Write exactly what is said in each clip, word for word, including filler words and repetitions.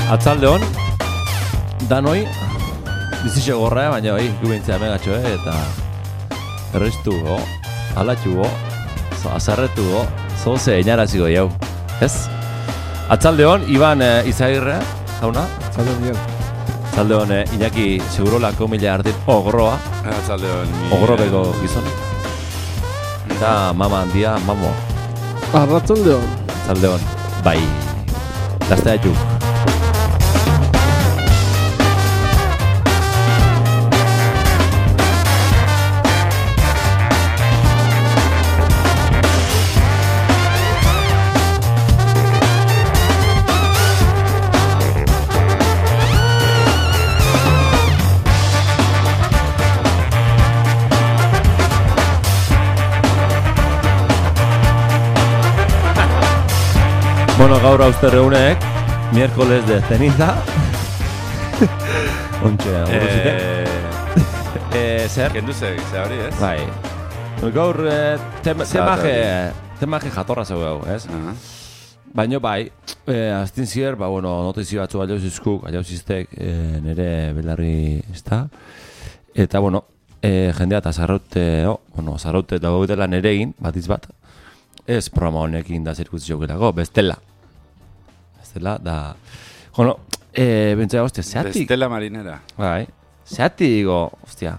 Atzalde hon, danoi, bizitxe gorra, baina bai, gubintzea megatxo, eh? Eta errestu go, alatxu go, azarretu go, zoze inaraziko jau, ez? Atzalde hon, Iban eh, Izagirre, jauna? Atzalde hon, Ian. Atzalde hon, eh, Iñaki Segurolako mila ardin ogroa. Atzalde hon. Ogrobeko gizon. Eta mama handia, mamo. Arratzalde hon. Atzalde hon, bai, daztea etxu. Bueno, gaur hauste reunek, miércoles de ceniza. Ontxe, aguruzite. Eh, zer? Kendu zeg, ze hori, ez? Bai. Gaur, eh, temaje, temaje jatorra zeu gau, ez? Uh-huh. Baina bai, eh, aztin zier, ba, bueno, notizio batzu aliauzizkuk, aliauziztek, eh, nire belarri ezta. Eta, bueno, eh, jendea eta zarraute, oh, bueno, zarraute dago dela nerein, batiz bat. Ez programa honekin da zirkuzio gelako, bestela. Bestela, da... Bueno, eh, bentsega, ostia, zeatik... Bestela marinera. Bai, zeatik, digo, ostia,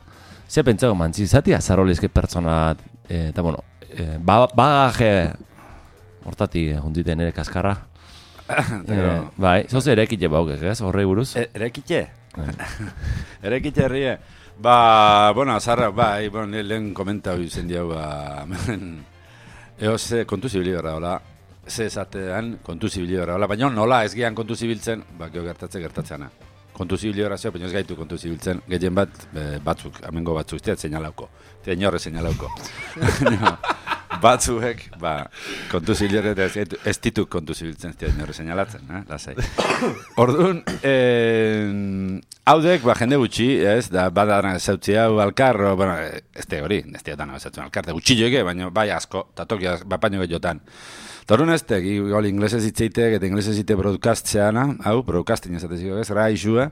ze pentsago mantzi, zeatik azarolezke pertsona, eh, eta, bueno, eh, ba, bagaje, hortatik, juntzite nire kaskarra. eh, bai, zoze erekite baukek, ez, horrei buruz? E, erekite? Erekite herrie. Ba, bueno, azarra, bai, bueno, lehen komentau izen diau, ba... Eo, ze kontu zibili berra, hola, ze esatean kontu zibili berra, hola, baina nola ez gehan kontu zibiltzen, ba, geho gertatze gertatzeana. Kontu zibili berra zeo, baina ez gaitu kontu zibiltzen, gehien bat, e, batzuk, amengo batzuk, ez tiat zeinalauko, ez inorre zeinalauko. No, batzuek, ba, kontu zibili berra, ez, ez ditu kontu zibiltzen, ez tiat inorre zeinalatzen, eh, lasai. Orduan, eh, haudek, ba, jende gutxi, ez, da, badara zautzi hau alkarro, bueno, ez te hori, ez teatan hau zautzen alkarte, gutxilloeke, baina bai asko, eta tokia, bapaino gehiotan. Torun ez tek, igual inglesez hitzeitek, eta inglesez hitzeitek broadcast-zeana, hau, broadcasting ezateziko ez, raixua,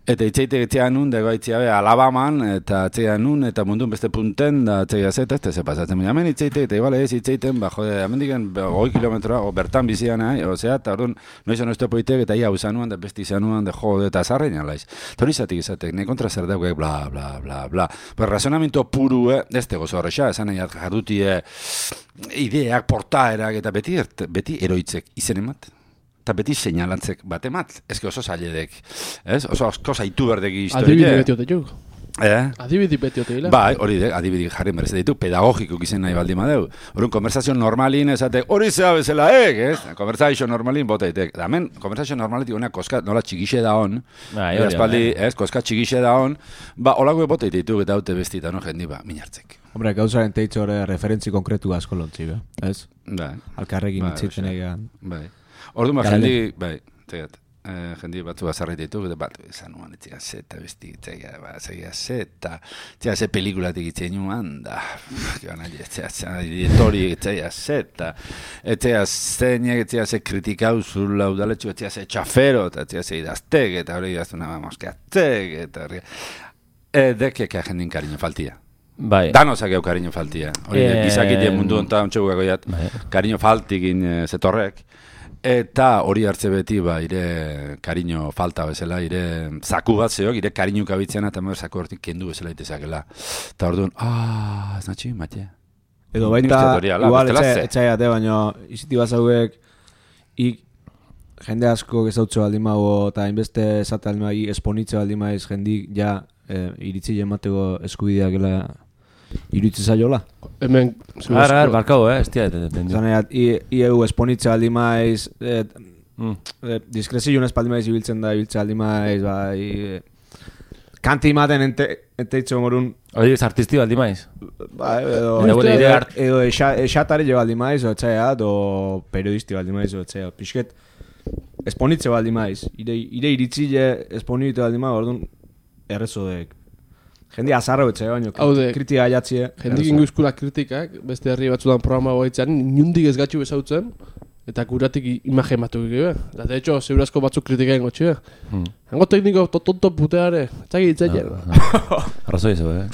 eta hitzeitek etxean nun, dago itziabe, Alabaman, eta etxean nun, eta mundun beste punten, da etxeia zeta, ez ze pasatzen, baina hemen hitzeitek, eta igual ez hitzeiten, ba, jode, hemen diken, goi kilometroa, o bertan bizian, eh, osea, eta orduan, noiz ono esto poitek, eta ia usanuan, da besti izanuan, de jode, eta zarrein alaiz. Tori izatik izatek, ne kontra zer dauk, bla, bla, bla, bla. Pues razonamiento puru, eh, ez tego zorrexa, esan nahi jarduti, eh, ideak, portaerak, eta beti, beti eroitzek izen emat. Eta beti seinalantzek bat emat. Ez que oso zailedek, ez? Oso asko zaitu berdegi historia. Adibidi beti oteuk. Eh? Adibidi beti oteila. Bai, hori dek, adibidi jarri merezete ditu, pedagogiko izen nahi baldin badeu. Horun, konversazio normalin esatek, hori zea bezala ek, ez? Konversazio normalin boteitek. Da, hemen, konversazio normalitik honak koska, nola txigixe da hon, Bai, eta hori, espaldi, bai. ez, koska txigixe da hon, ba, holako boteite ditu eta haute bestita, no, jendi, ba, minartzek. Hombre, gauzaren teitzo hori referentzi konkretu asko lontzi, be? Ez? Bai. Alkarrekin Bai, itzitzen oxe. egan. Bai. Orduan, ba, Garale. jendi, bai, tegat, eh, jendi batzu bazarreit ditu, eta bat, esan nuan, etxea zeta besti, etxea, ba, etxea zeta, etxea ze pelikulatik itzen nuan, da, etxea zeta, editori, etxea zeta, etxea zeinek, etxea ze kritikau zula udaletxu, etxea ze txafero, eta etxea ze idaztek, eta hori idaztu nama moskeatek, eta hori, edekek jendin kariño faltia. Bai. Danozak eu kariño faltia. Hori, Eh, gizakite mundu onta ontxegukako jat, Bai. kariño faltikin e, zetorrek, eta hori hartze beti, ba, ire kariño falta bezala, ire zaku bat zeok, ire kariño kabitzena, eta mer zaku hortik kendu bezala itezakela. Eta orduan, ah, ez natxi, mate. Edo baita, Nik uste hori ala, igual, bestela etxai ze. etxai ate, baina iziti bazauek, ik jende asko gezautze baldin mago, eta hainbeste esate baldin mago, esponitze baldin maiz jendik, ja, eh, iritzi emateko eskubideak gela iritzi zaiola. Hemen... Ara, ara, barkau, eh, ez tia, entendiu. Zan egat, ieu esponitze baldin maiz, eh, Mm. eh, diskrezioen ez baldin maiz ibiltzen da, ibiltze baldin maiz, bai, eh, kanti maten ente, enteitzo morun, Hori ez artisti baldi maiz. ba, edo, Eta gure ide art- edo exa- esatari jo baldin maiz, o etxaia, o periodisti baldin maiz, o etxaia, pixket, esponitze baldin maiz, ire, ire iritzile esponitze baldin maiz, orduan, errezodek. Jendi azarra betxe, baino, Haude, kritika aiatzie. jendik inguzkula kritikak, beste herri batzudan programa goitzen, inundik ez gatxu bezautzen, Eta guratik imagen batuk ege, eta de hecho, segurazko batzuk kritikaen gotxe, Hmm. hango tekniko tonto puteare, txaki ditzaien. Arrazoi zo, eh?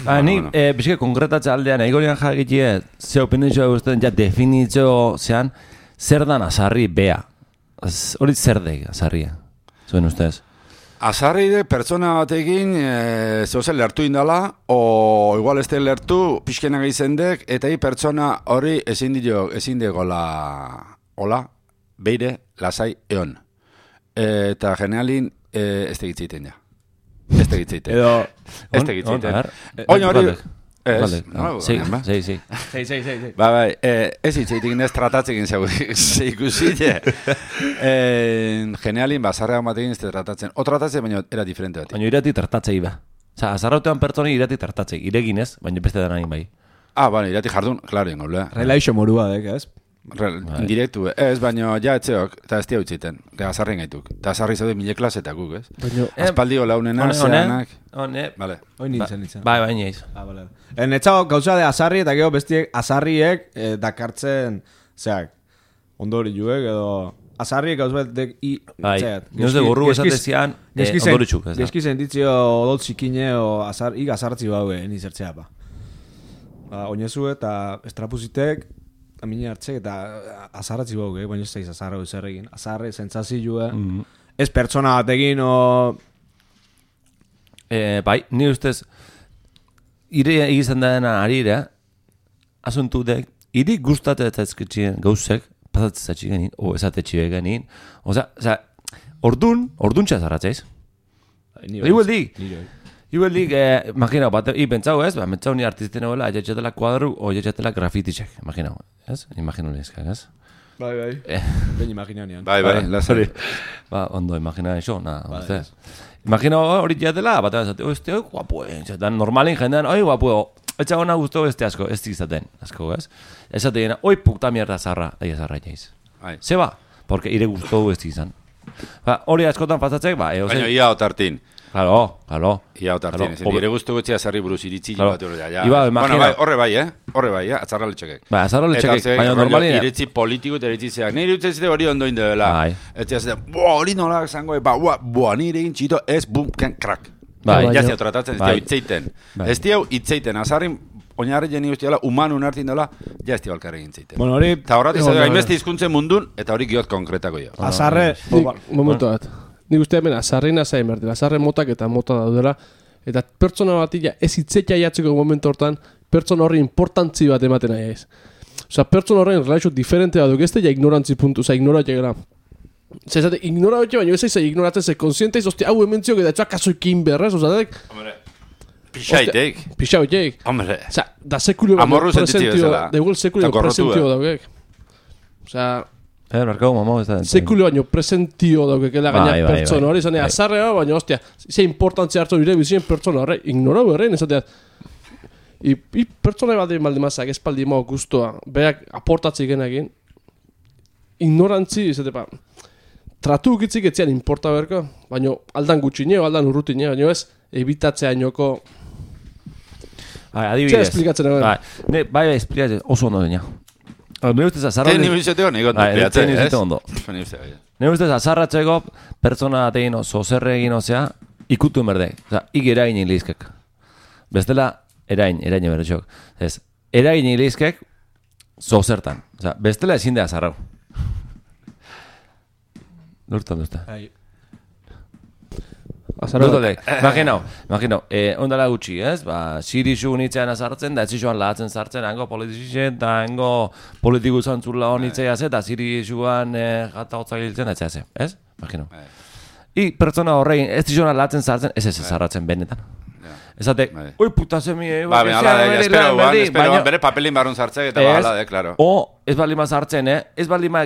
Ba, ni, bueno. eh, bizke konkretatza aldean, egorian jakitie, ze opinitxoa guztien, ja definitxo zean, zer dan azarri bea. Az- Hori zer dek azarria, zuen ustez? Azarri de pertsona batekin e, zeuzen lertu indala, o igual ez lertu, pixkenak izendek, eta hi pertsona hori ezin dio, ezin degola, hola, beire, lasai, eon. E, eta generalin e, ez tegitzeiten ja. Ez tegitzeiten. Edo... Ez On- tegitzeiten. on, a ver. Oin hori... Baldek. Ez, Baldek. no, Sí, ba. sí, sí. Sei, sei, sei, sei. Ba, bai, eh, ez hitzeitik ez tratatzekin zeu ikusile. eh, generalin, ba, zarrean batekin ez te tratatzen. O tratatzen, baina era diferente bat. Baina irati tartatzei ba. Osa, azarrautean pertsoni irati tartatzei, iregin ez, baina beste danain bai. Ah, bueno, irati jardun, klaro ingo, lea. Relaixo morua dek, ez? Re, indirektu, ez, baina ja etzeok, eta ez tia utziten, eta azarren gaituk. Eta azarri zaude mile klasetak guk, ez? Baina, Aspaldio launena, Hone, zeanak. hone, Vale. Oin nintzen, nintzen. bai, bai, neiz. Ah, vale. En etxago gauza de azarri eta gero bestiek azarriek eh, dakartzen, zeak, ondori juek edo... Azarriek gauz bat dek i... Bai, zeat, nioz de geski- burru geskiz- esatezian, eh, geskizen- ondoritxuk, ez da. Geski sentitzio odol zikine o azar, ik azartzi baue, ni zertzea ba. Ba, oinezu eta estrapuzitek, amine hartzek eta azarratzi bauge, baina ez daiz azarra zer egin. Azarre, sentsazioa, Mhm. ez pertsona batekin o... Eh, bai, ni ustez, ire egizten dena arira, asuntu dek, iri gustatzen gauzek, pasatzen zatxik o esatetxi genin, oza, oza, ordun, orduntxa zarratzeiz. Igual dik, igual dik, eh, imagina, bat, i pentsau ez, ba, pentsau ni artisten egoela, jetxetela kuadru, o jetxetela grafitixek, imagina, ez? Imagino lehizkak, ez? Bai, bai. Eh. Ben imaginanean. Bai, bai, lasari. Ba, ondo, imagina eso, na, uste. Imagina hori jatela, bat esate, este, oi, guapo, dan normalin jendean, oi, guapo, etxa gona guztu este asko, ez izaten, asko, ez? Esate dena, oi, puta mierda zarra, aia zarra jaiz. Bai. Zeba, porque ire guztu ez izan. Ba, hori askotan pasatzek, ba, eo Baina zen. ia otartin. Claro, claro. Ia otartin, Claro, ez hobe- dire guztu gutxia zarri buruz iritzi Claro. bat hori da, ja. Iba, Bueno, imagina- bai, horre bai, eh? Horre bai, eh? Atzarra letxekek. Ba, azarro Eta letxekek, ze, baina rollo, normalin. iritzi politiko eta iritzi zeak. Nire utzez de hori ondo indela. Bai. Eta ez da, boa, hori nola zango, ba, boa, boa, nire egin txito, ez, bum, ken, krak. Bai. Ja zia tratatzen, ez Bai. diau itzeiten. Bai. Ez diau itzeiten, azarrin, oinarri jeni guztiala, human unartin dela, ja ez diau alkarri egin zeiten. Bueno, hori... Eta horretik Egon zaitu, da, hainbeste hizkuntzen mundun, eta hori giot konkretako jo. Azarre... nik, momentu bat. Nik uste hemen azarrina zain behar dira, azarre motak eta mota daudela, eta pertsona batila ez itzetia jatzeko momentu hortan, pertsona horri importantzi bat ematen nahi ez. Osa, pertsona horren relaxo diferente bat duk, ez da ja ignorantzi puntu, oza, ignoratia gara. Zezate, ignoratia baina ez aiza ignoratzen ze konsienteiz, ostia, hau hementziok eta etxoak kasoikin berrez, oza, dek, Hombre, pixaitek. pixau jek. Hombre, Osa, da sekulio baino Amorru sentitzi presentio, bezala. da igual sekulio Eta gorrotua. presentio daukek. Osa, Eh, markau, mamo, ez da. sekulio baino presentio daukekela Bai, gaina bai, pertsona bai. hori, zane, Bai. azarrea, baina, ostia, ze importantzia hartu nire bizien pertsona horre, ignorau horrein, ezatea, I, i pertsona bat egin baldimazak, espaldi mao guztua, berak aportatzi genekin, ignorantzi, izate, ba, tratu ukitzik etzian importa berko, baina aldan gutxineo, aldan urrutineo, baina ez, ebitatzea inoko, Bai, txea adibidez. esplikatzen egon. Bai, ne, bai, bai, esplikatzen, oso ondo dena. Ne ustez azarra... Te ni biziteo nik Bai, ondo te ni biziteo ondo. Ni uste, bai. Ne ustez azarratzeko pertsona atein oso zerre egin ozea, ikutu berde. Osa, ik eragin ilizkek. Bestela, erain, erain berretxok. Ez, eragin ilizkek, zozertan. Osa, bestela ezin da azarrau. Lurtan duzta. Azarra Dut dek, imaginau, imaginau, eh, ondala gutxi, ez? Ba, sirisu unitzean azartzen, da ez zisuan lahatzen sartzen, hango politizitzen, da hango politiku zantzula honitzea ze, da sirisuan eh, jata hotzak hiltzen, da ez ez? Imaginau. Bai. I pertsona horrein, ez zisuan lahatzen sartzen, ez ez azarratzen benetan. Ezate, Bai. oi puta zemi, eh, Ba, ben, ala, de, espero, guan, espero, baina- bere papelin barrun sartzek, eta ba, ala, de, claro. O, ez balima sartzen, eh? Ez balima,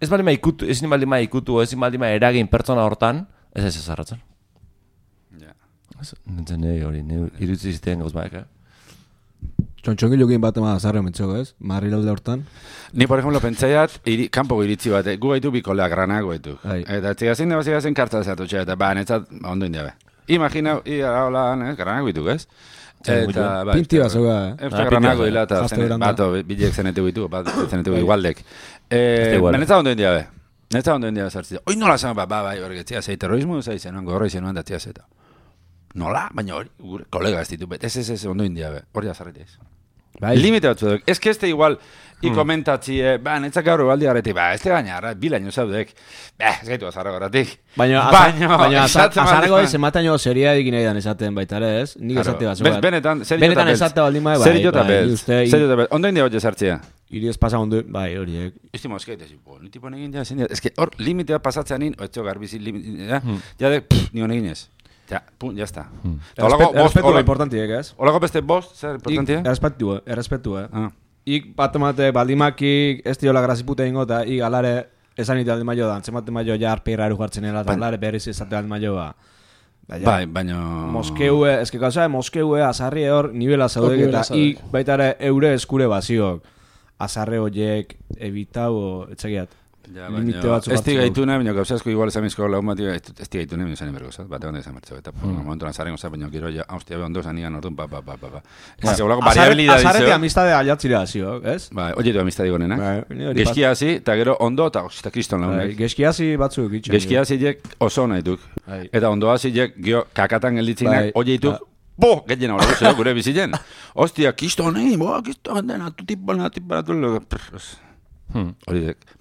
ez balima ikutu, ez balima ikutu, ez balima eragin pertsona hortan, ez ez azarratzen. Ja. Nintzen nahi hori, irutzi zitean gauzmaek, eh? Txontxongilokin bat ema azarre mentzoko, ez? Marrilalde hortan. Ni, por ejemplo, pentsaiat, iri, kanpoko iritzi bat, gu gaitu bikoleak, granago gaitu. Bai. Eta txigazin, da, txigazin kartza zatu txea, eta ba, netzat, ba, ondo indiabe. Imagina, ia hola, eh, garanako dituk, ez? Eta, bai, Pinti bat zauga, eh? Eta granako dila, eta bato, bilek zenetu bitu, bat zenetu igualdek. Benetza ondo india, be. Benetza ondo india zartzea. Oi, nola zan, ba, bai, horretzea, zei terrorismo, zei zenuan, gorroi zenuan datzea zeta. Nola, baina hori, gure kolega ez ditu, bet, ez, ez, ez, ondo india, be. Hori azarretea ez. Limite batzu duk. Ez que este igual, i komentatzie, ba, netzak gaur baldi garretik, ba, ez te gaina, bilaino zaudek, ba, ez gaitu azarrago garratik. Baina, baina azarrago ez ematen jo seria edik nahi dan esaten baita ere, ez? Nik esate bat. Benetan, benetan esate baldin bai, bai, bai, bai, ondo india hori zartzea. Iri ez pasa ondo, bai, horiek. Esti mozkeit, ez, ni tipo negin ja, zen, ez que hor limitea pasatzean in, oetxo garbizi limitea, ja de, ni honegin ez. Ja, pun, ya está. Errespetu da importantiek, ez? Olako beste bost, zer importantiek? Errespetu, errespetu, eh? Ik bat emate baldimakik ez diola grazipute ingo, eta ik alare esan ite aldi maio da, antzemate maio ja arpeira eru jartzen eta alare berriz ezate aldi maio ba. Bai, baina... Moskeue, ez que gauza, Moskeue, azarri hor, nivela zaudek eta ik baita ere eure eskure baziok. Azarre horiek, ebitau, etxegiat. Ja, baina, ez tigaituna, baina gauzazko igual esamizko lagun bat, ez tigaituna, baina zain bergozat, bat egon da izan martxo, eta momentu nazaren gozat, baina gero ja, haustia behon doz, anigan orduan, pa, pa, pa, pa, pa. Ez segulako variabilidad dizo. Azarreti amistade aljatzira zio, ez? Bai, oietu amistade gonenak. Geskiazi, eta gero ondo, eta osita kriston lagunek. Geskiazi batzuk itxan. Geskiazi jek oso nahituk. Eta ondoazi jek, gio, kakatan gelditzinak, oietuk, bo, getxena hori guzio, gure bizitzen. Ostia, kriston nahi, bo, kriston dena, tu tipo, na, tipo, na, tu, Hmm.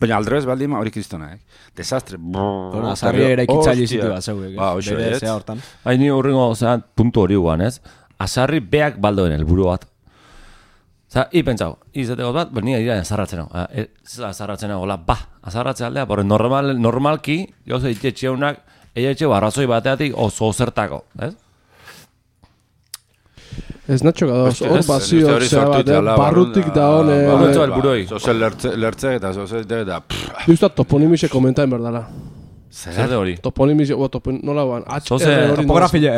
Baina aldrez baldima hori kristona, eh? Desastre. Bueno, azarri ere ikitzaile izitu bat zauek. Ba, oixo, ez? Hain ni horrengo, zean, puntu hori guan, ez? Azarri beak baldoen helburu bat. Zer, hi pentsau, izateko bat, ben nire dira azarratzen hau. Ez azarratzen hau, hola, ba, azarratzen aldea, borre normal, normalki, gauza itxetxeunak, eietxe barrazoi bateatik oso zertako, ez? Ez natxo gadoz, hor bazio, barrutik da hone... Horretzo helburoi. Zozel lertze eta zozel eta... Justa toponimixe komentaen berdala. Zer de hori? Toponimixe, nola guan, H R hori... Topografile...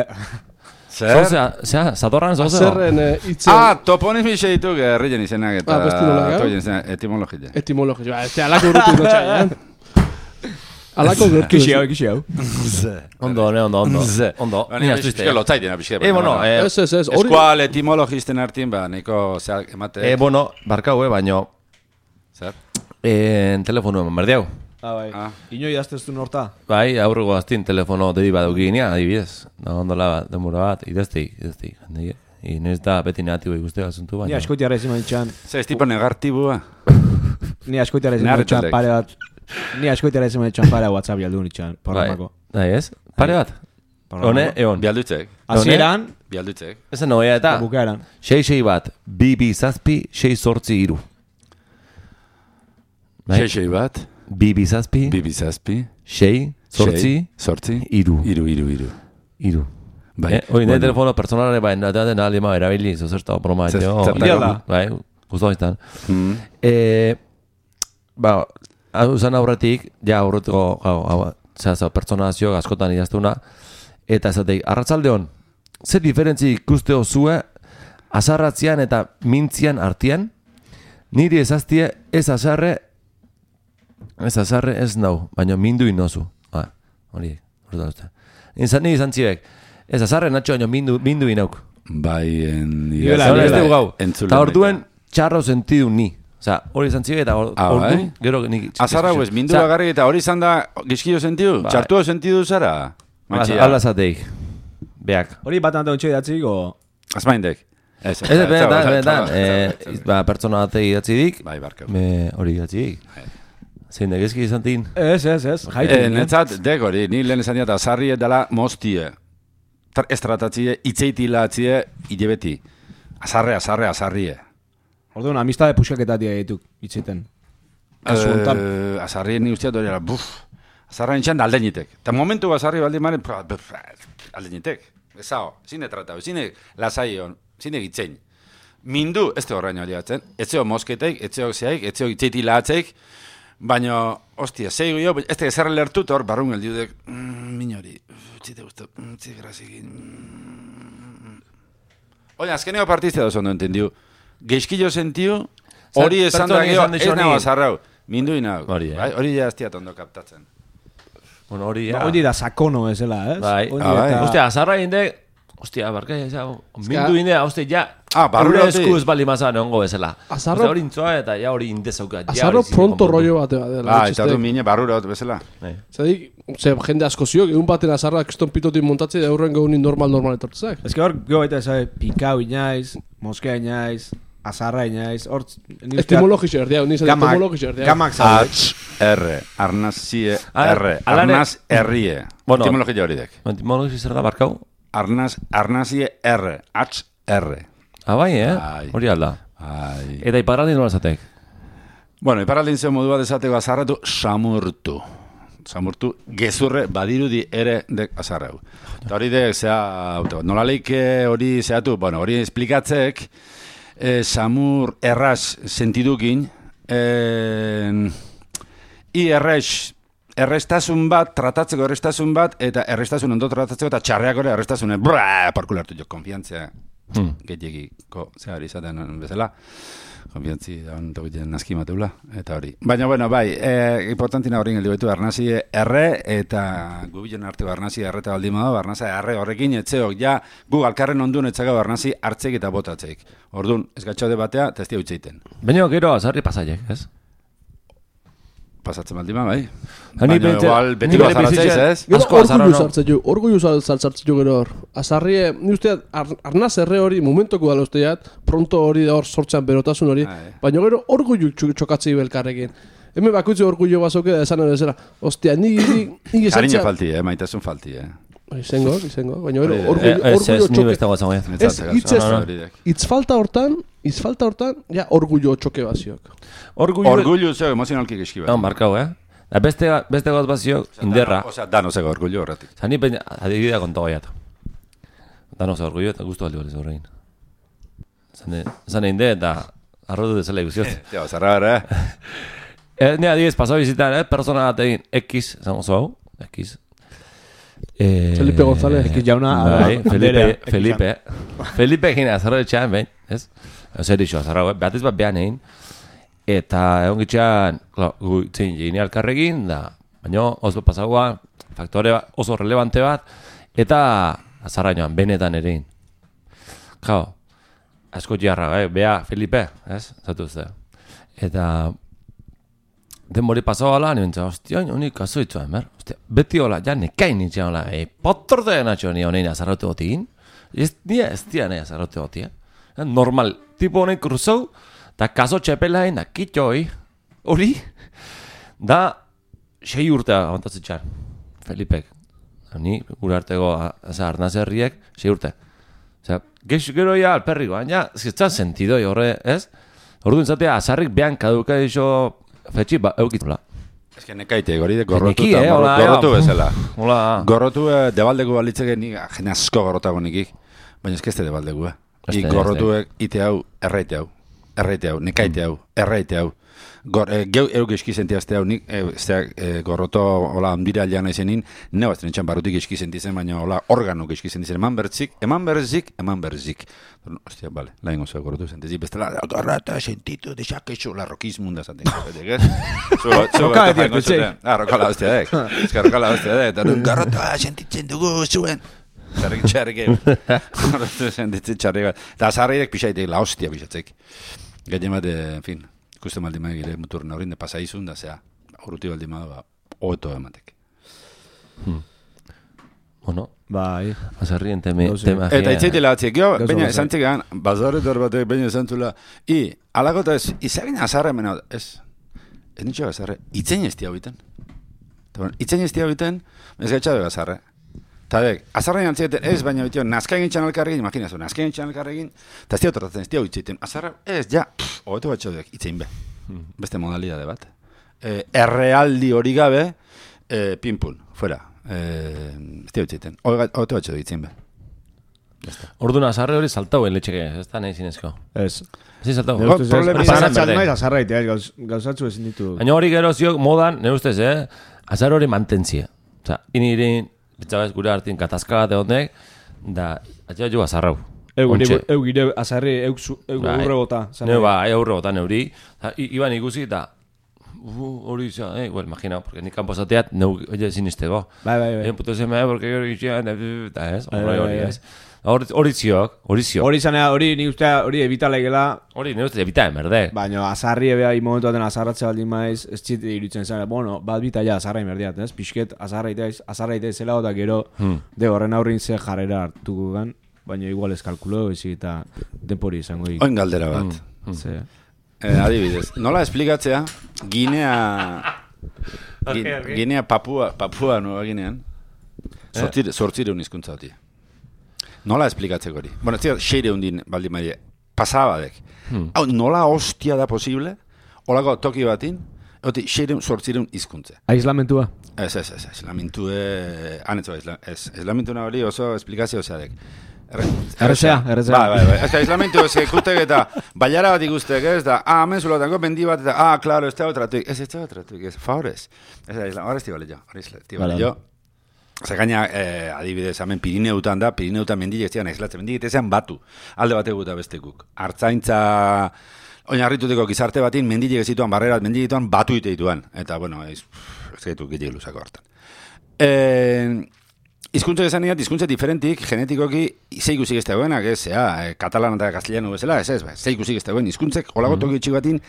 Zer? Zea, zatorran zoze? Zerren itzen... Ah, toponimixe dituk herrien izenak eta... Ah, besti nola, etimologia. Etimologia, ez te alako urrutu notxa, eh? Alako gertu. Kixi hau, kixi hau. Ondo, ne, ondo, ondo. Ondo, ni aztuizte. Ego lotzaiten apizke. E, bueno, eh... Ez, ez, ez. Eskual etimologisten hartien, ba, neko zeak emate... E, bueno, barkau, eh, baino... Zer? En telefono eman berdiau. Ah, bai. Ino idazteztu norta? Bai, aurrego aztin telefono dedi bat eukinia, adibidez. Da, ondola bat, demura bat, idazteik, idazteik. Inez da beti negatibo ikuste asuntu baina... Ni askoitiara ezin ditxan... Zer, ez tipo negatibua? Ni askoitiara ezin ditxan pare bat... Ni askoitara ezin ditxan pare WhatsApp jaldu nitxan, programako. Bai, ez? Pare bat? Hone, egon. Bialdutzek. Azieran... Bialdutzek. Ezen noia eta... Bukaeran. Sei, sei bat, bi, bi, zazpi, sei, sortzi, iru. Sei, sei bat... Bi, bi, zazpi... Bi, bi, zazpi... Sei, sortzi... Sortzi... Iru. Iru, iru, iru. Iru. Bai. Hori, nire telefono personalare bai, nateaten alima erabili, zozerta broma. Zertako. Bai, guztu izan. Ba... Uzan aurretik, ja aurretiko pertsonazio askotan idaztuna, eta esateik, arratzaldeon, zer diferentzi ikusteo zue azarratzean eta mintzian artean, niri ezaztie ez azarre, ez azarre ez nau, baina mindu inozu. Ah, hori, hori da. Ni izan zibek, ez azarre natxo, baina mindu, mindu inauk. Bai, en... Eta orduen txarro sentidu ni. Osa, hori izan zibek eta ordu, gero nik... Azarra huez, mindu bagarri eta hori izan da gizkio sentidu? Txartuo sentidu zara? Ala zateik, beak. Hori bat anton txoi datzik, o... Azmaindek. Ez, ez, benetan, benetan. Pertsona bat idatzi dik, hori idatzi dik. Zein da gizki izan tin? Ez, ez, ez. Netzat, dek hori, ni lehen esan diat, azarri edala moztie. Estratatzie, itzeitilatzie, idebeti. Azarre, azarre, azarrie. Orduan, amistade puxaketatia dituk, itxiten. Uh, azarri ni usteat hori, buf, azarra nintxan da aldenitek. Eta momentu azarri baldi maren, aldenitek. Ezao, zine tratau, zine lasaion, zine gitzein. Mindu, ez te horrein hori atzen, etzeo mosketeik, etzeo zeaik, etzeo gitzeiti lahatzeik, baina, ostia, zeigu jo, ez te zerre lertut hor, barrun geldiudek, mm, minori, txite guztu, txite grazikin. Oina, azkeneko partizte da zondo entendiu. Geizkillo sentiu, hori esan da geho, ez nago azarrau. Mindu inau. Hori ja aztiat ondo kaptatzen. Bueno, hori, ja. Hori da sakono ezela, ez? Bai. Hori Ah, bai. eta- Ostia, azarra inde, ostia, barka, ja, mindu inde, ostia, ja, Ah, barrura Eure hoti. eskuz bali mazan egongo bezala. Azarro- Ostia, hori intzoa eta ja hori indezauka. ja Azarro hori zine pronto konpondu. rollo bate bat dela. Ah, eta du mine barrura hot bezala. Bai. Zadik, ze jende asko ziok, egun baten azarra kriston pitotik montatze da aurren gaunin normal-normal etortzak. Ez que hor, gero baita esabe, pikau inaiz, moskea inaiz, azarra inaiz, hor... Etimologixo erdiau, niz etimologixo erdiau. Gamak zaude. H R, arnazie Ah, R, alare- arnaz herrie. Bueno. Etimologia hori dek. Etimologi zer da barkau? Arnaz, arnazie R, H R. Ah, bai, eh? Bai. Hori alda. Ai. Eta iparraldi nola zatek? Bueno, iparraldin zen modu bat esateko azarratu, samurtu. Samurtu, gezurre badirudi ere dek azarrau. Eta hori dek, zea, nola leike hori zehatu, bueno, hori esplikatzek, eh, samur erraz sentidukin, eh, i errex, errestasun bat, tratatzeko errestasun bat, eta errestasun ondo tratatzeko, eta txarreak ere errestasune, brrrr, parkulartu jo, konfiantzia, Hmm. gehiagiko, zehar izaten bezala, konfiantzi da hon tokiten naski mateula, eta hori. Baina, bueno, bai, e, importantina horrein geldi baitu, arnazi erre, eta gubilen arteko arnazi erreta baldin bada, arnazi erre horrekin etzeok, ja, gu alkarren ondun etzaka arnazi hartzeik eta botatzeik. Orduan, ez gatxaude batea, eta ez dia utzeiten. Baina gero azarri pasaiek, ez? Pasatzen baldin bada, bai. Hani Baina, pentsa- igual, beti ni bere bazaratzeiz, bizitzen- ez? Gero Asko azarra, orgullu no? sartzen jo, orgullu sartzen jo gero hor. Azarrie, ni uste, ar, arnaz erre hori, momentoko dala usteat, pronto hori da hor sortzean berotasun hori, Ah, eh. baina gero orgullu txu- txokatzei belkarrekin. Hemen bakoitze orgullu bazoke da esan ere zera. Ostia, ni ni ni Kariño falti, eh, maitasun falti, eh. Izango, izango, baina gero Hori da. orgullu Eh, Ez, ez, orgullu ni txoke. beste guatzen goiat. Ez, Netzat, hitz ez, hori dek. hitz falta hortan, hitz falta hortan, ja orgullo txoke baziok. Orgullo... Orgullu zeo emozionalki geski bat. No, markau, eh? Da beste, beste gauz bazio, inderra. Osea, danoseko orgullu horretik. Zani peina, adibidea konto goiat. Danos orgullo eta gustu aldi baliz horrein. Zane, zane inde eta arrodu dezela iguziot. Ja, zarra gara, eh? Ez, ni adibidez, pasau bizitan, eh? Persona bat egin X, zango zu hau, X. Eh, Felipe González. X jauna, Bai, ara, Felipe, berea, X Felipe. Felipe egin azarro etxean, behin, ez? Zer iso, azarro, eh? Beatiz bat behan egin. Eta egon gitxean, klar, gu itzen jini alkarrekin, da, baina oso pasagoa, faktore bat, oso relevante bat, eta azarra joan, benetan ere egin. Kao, asko jarra, eh? Bea, Felipe, ez? Zatu ze. Eta denbori pasau ala, ni bentsa, ostia, honi kaso itzuan, ber? Ostia, beti hola, ja nekain nintzen hola, e, potrorde natxo ni honein azarrote gotiin. Ez nia, ez tia nahi azarrote goti, eh? Normal, tipo honein kruzau, eta kaso txepelain, da kitxoi, hori, da, sei urte aguantatzen txar, Felipek. Ni, gure arteko, arnaz herriek, sei urte. Osea, gexo gero ya alperriko, baina, ez que sentidoi horre, ez? Orduan zatea, azarrik behan kaduka iso, fetxi, ba, eukitula. Ez que nekaite, hori de gorrotu Neki, eta eh, gorro- hola, gorrotu ja, bezala. Hola, Gorrotu eh, debaldeko balitzeke nik, ah, jene asko gorrotago nikik, baina ez que ez debaldeko, eh. Este, Ik gorrotuek ite hau, erraite hau, erraite hau, nekaite hau, erraite hau. Gor, eh, geu euk eski sentiazte hau nik, eh, zeak, eh, gorroto, hola, handira alian izenin, neu azten etxan barutik eski sentizen, baina hola, organok eski sentizen, eman bertzik, eman berzik, eman berzik. Ostia, bale, lain oso gorrotu sentizik, bestela, gorrata sentitu, desakexo, la rokizmun da zaten. Roka beti hartu Ah, rokala hostia dek. Ez que rokala hostia dek, eta gorrota sentitzen dugu zuen. Txarrik, txarrik, gorrotu sentitzen txarrik bat. Eta azarriek pixaitek, la hostia pixatzek. Gehien bat, en fin, ikusten baldin maik gire muturren horrin, de pasaizun, da zea, urruti baldin maik, ba, hoeto ematek. bueno, Bai. azarrien teme, Gauze. tema. Eta itzaitela batzik, jo, Gauza baina gauza. esan txegan, bazaretor batek, baina esan zula, i, alakota ez, izagin azarra mena, ez, ez nitxo azarra, itzen ez tia biten. Itzen ez tia biten, ez gaitxabe azarra. Eta dek, azarra jantzeten ez, baina bitio, nazkain gintxan alkarregin, imaginazu, nazkain gintxan alkarregin, eta ez tia otortatzen, ez tia uitziten, azarra, ez, ja, pff, hobeto batxodek, itzein be, beste modalidade bat. Eh, errealdi hori gabe, eh, pinpun, fuera, eh, ez tia uitziten, hobeto batxodek itzein be. Orduan azarre hori saltau letxeke, ez da nahi zinezko. Ez. Ez saltau. Ba, problema- Zaratzen naiz azarraite, gauz, gauzatzu ezin ditu. Baina hori gero ziok modan, nire ustez, eh? Azar hori mantentzie. Osa, inirin, betxabez gure hartin katazka bat egonek, da, atxea jo azarrau. Eu Ontxe. gire, eu gire azarri, eu zu- eu Bai. urre bota. Neu ba, eurre bota neuri. Ta, i- Iban ikusi eta Uh, hori izan, eh, well, imagina, porque ni kanpo zateat, neu, oie, sinistego. Bai, bai, bai. Eh, puto seme, porque hori izan, eta ez, Bai, hori bai, hori, bai. ez. Hori hori ziok, hori ziok. Hori zanea, hori ni ustea, hori ebitalaikela, Hori, nire uste, ebita emerde. baina azarri ebea momentu baten azarratze baldin maiz, ez txit iruditzen zen, bueno, bat bita ja azarra inberdiat, ez? Pixket azarra itaiz, azarra itaiz zela, eta gero, Hmm. de horren aurrin ze jarrera hartuko gan, baina igual ez kalkulo, ezik eta denpori izango dik. Oin galdera bat. Ze, Eh, adibidez, nola esplikatzea Ginea Gi- Argi, argi. Ginea Papua, Papua Nueva Ginean sortzire, sortzireun hizkuntza hoti. Nola esplikatzeko hori? Bueno, ez dira, seireun din baldin maile, pasabadek. Hau, nola hostia da posible, holako toki batin, hoti, seireun, sortzireun hizkuntza. aislamentua. Ez, ez, ez, islamentu, eh, anetzo, isla, ez, islamentu hori oso esplikazio zeadek. Errezea, errezea. Bai, bai, bai. Ez da, islamentu ez ikutek eta baiara bat ikustek, ez da, ah, hemen zulotango bendi bat eta, ah, claro, ez da otratuik. Ez, ez da otratuik, ez, favorez. Ez da, islam, horrez tibale jo, horrez tibale jo. Zer gaina, eh, adibidez, hemen Pirineutan da, Pirineutan mendilek zian aislatzen, mendilek zian batu, alde bategu eta bestekuk. Artzaintza, oinarrituteko gizarte batin, mendilek zituan, barrerat mendilek zituan, batu ite dituan. Eta, bueno, ez, ez gaitu gehiago luzako hartan. Eh, Hizkuntza esan dira, hizkuntza diferentik, genetikoki, ze ikusik ez dagoenak, ez, ea, e, katalan eta castellano bezala, ez ez, ba, ze ikusik ez dagoen, hizkuntzek, holako toki txik batin,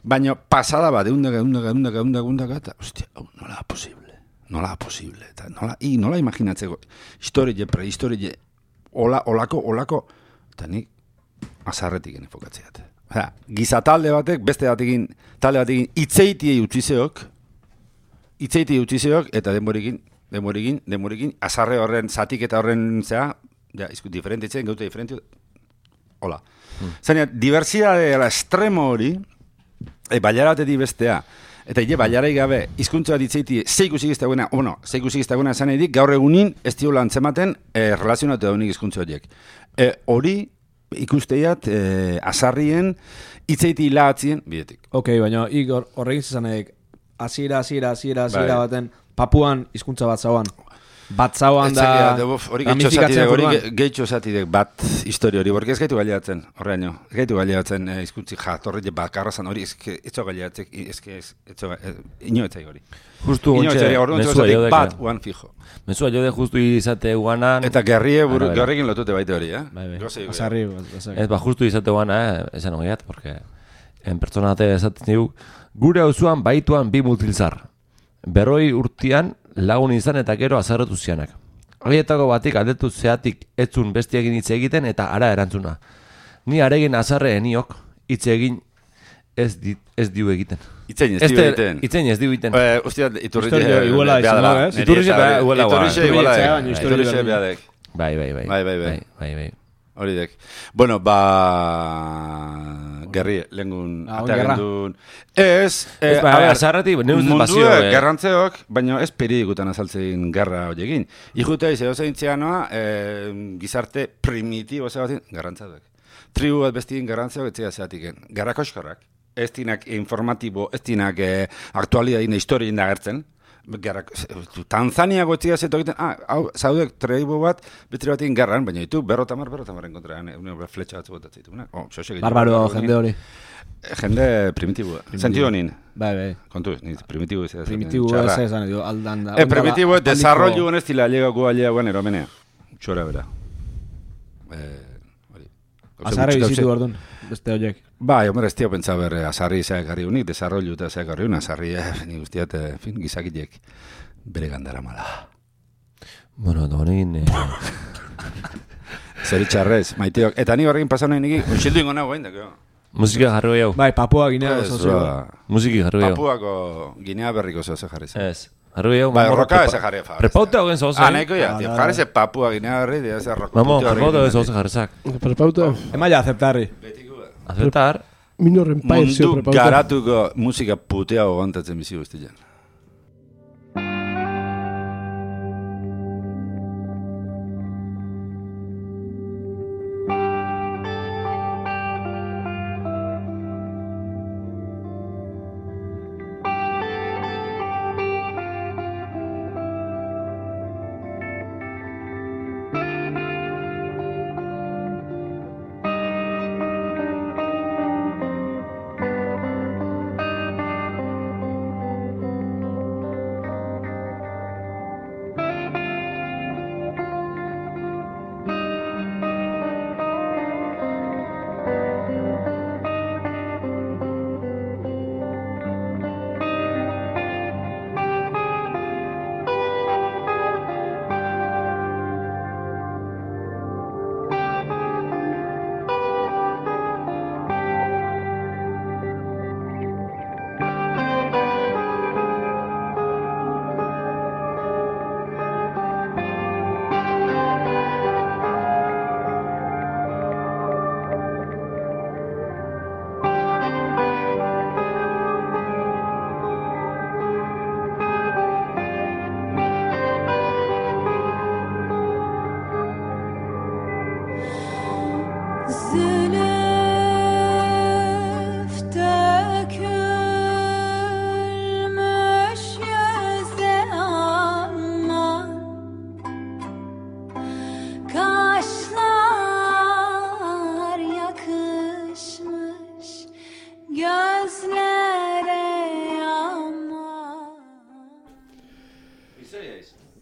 baina pasada bat, eundaka, eundaka, eundaka, eundaka, eundaka, eta, hostia, hau, nola da posible, nola da posible, eta nola, i, nola imaginatzeko, historie, prehistorie, hola, holako, holako, eta nik, azarretik enefokatzeat. Osea, gizatalde batek, beste batekin, talde batekin, itzeitiei utzizeok, itzeitiei utzizeok, eta denborikin, demorikin, demorikin, azarre horren, zatik eta horren zea, ja, izku, diferentitzen, gaute diferentiu, hola. Hmm. Zaina, diversidade ala estremo hori, e, baiara batetik bestea, eta hile baiarai gabe, hizkuntza bat itzeiti, ze ikusik ez dagoena, bueno, ze ikusik ez dagoena esan edik, gaur egunin, ez diola antzematen, e, relazionatu daunik hizkuntza horiek. E, hori, ikusteiat, e, azarrien, itzeiti hilatzien, bidetik. Ok, baina Igor, horregin zizan edek, hasiera, hasiera, hasiera, hasiera Bai. baten, Papuan hizkuntza bat zauan. Bat zauan da... da hori ramifikatzen hori forman. gehitxo zatidek bat historia hori, borki ez gaitu gaileatzen, horreaino, ez gaitu gaileatzen eh, hizkuntzi jatorri bakarrazan hori, ez etxo gaileatzek, ez ez etxo, ino etzai hori. Justu Ino ontxe, etzai, orduan mezua txozatik jodek. bat, uan fijo. Mezua jode justu izate guanan. Eta gerrie, buru, Arabera. gerrekin lotute baite hori, eh? Bai, bai, Goze, azarri, Ez, azarri. ba, justu izate guana, eh, esan ogiat, porque en pertsonate esaten digu, gure auzuan baituan bi mutilzar. Berroi urtian lagun izan eta gero azarretu zianak. Haietako batik aldetu zeatik etzun bestiekin hitz egiten eta ara erantzuna. Ni aregin azarre eniok hitz egin ez, di, ez diu egiten. Itzein ez Este- dio egiten. Itzein ez diu egiten. Eh, Ustia, iturri Historia iguala izan da, ez? Iturrixe bea- iguala guan. Iturrixe iguala Iturrixe, dek. baina historia Iturrixe berdin. bea dek. Bai, bai, bai. Bai, bai, bai. Bai, bai, bai. Hori dek. Bueno, ba... Gerri, lengun Ah, oin gerra. atagendun. Ez, eh, Ez, ba, a ber, azarretik, ne ustez mundue bazio, eh. gerrantzeok, baina ez peridikutan azaltzen gerra horiekin. Ijutea izan zein txeanoa, eh, gizarte primitibo zebatin, garrantzaduek. Tribu bat bestin garrantzeok etzea zeatiken. Garra koskorrak. Ez dinak informatibo, ez dinak eh, aktualidadin historien dagertzen. Gerra, Tanzania gotzia zeto egiten, ah, hau, zaudek tribu bat, betri batin garran, baina ditu, berrotamar, berrotamarren kontra, une fletxa batzu botatzen ditu. Oh, xoxe gehiago. Barbaro jende hori. Jende primitibo. Sentido honin. Bai, bai. Kontu, ni primitibo izan. Primitibo ez esan edo, aldan da. Eh, primitibo ez, desarrollu honez tila llegako aleagoan eromenea. Txora bera. Eh, hori. Azarre bizitu orduan, beste horiek. Bai, hombre, ez tio pentsa ber, azarri zeak garri unik, desarrollu eta zeak garri un, azarri, eh, ni guztiat, eh, fin, gizakitek bere gandara mala. Bueno, da honekin... Eh, Zeritxarrez, maiteok. Eta ni horrekin pasan nahi niki, unxildu ingo nago, hain, musika jarri gehiago. Bai, Papua Ginea Ez, oso ba, Musiki jarri gehiago. Papuako Ginea berriko zeo ze jarri zen. Ez. Jarri gehiago. Bai, mamorra roka prepa- ez jarri fa. Prepauta hogen zoze. Ah, nahiko ja, Ah, tío, da, jarri da. ze Papua Ginea berri, dia ze roka. Mamo, prepauta hogen zoze jarrizak. Prepauta, Emaia aceptarri. Aceptar. minor empire zio Mundu prepauta. garatuko musika puteago gontatzen bizi guztian.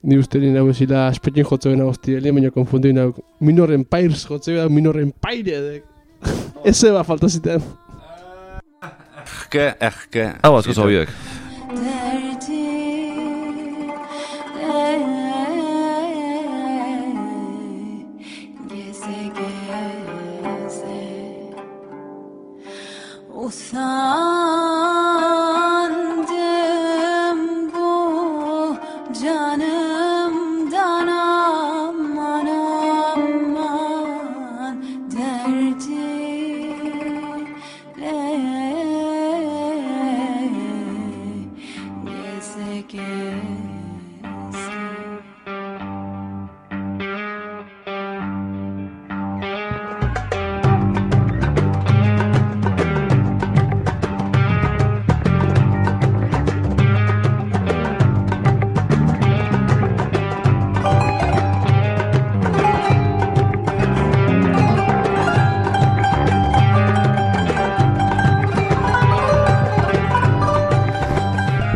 Ni uste nina bezila espetin jotze bena hostia, lehen baina konfundu nina Minor Empires jotze bena Minor Empire edek. Eze ba falta zitean. Ehke, ehke. Hau asko zabiek. Usandım bu canımdan aman aman derdiyle geze geze.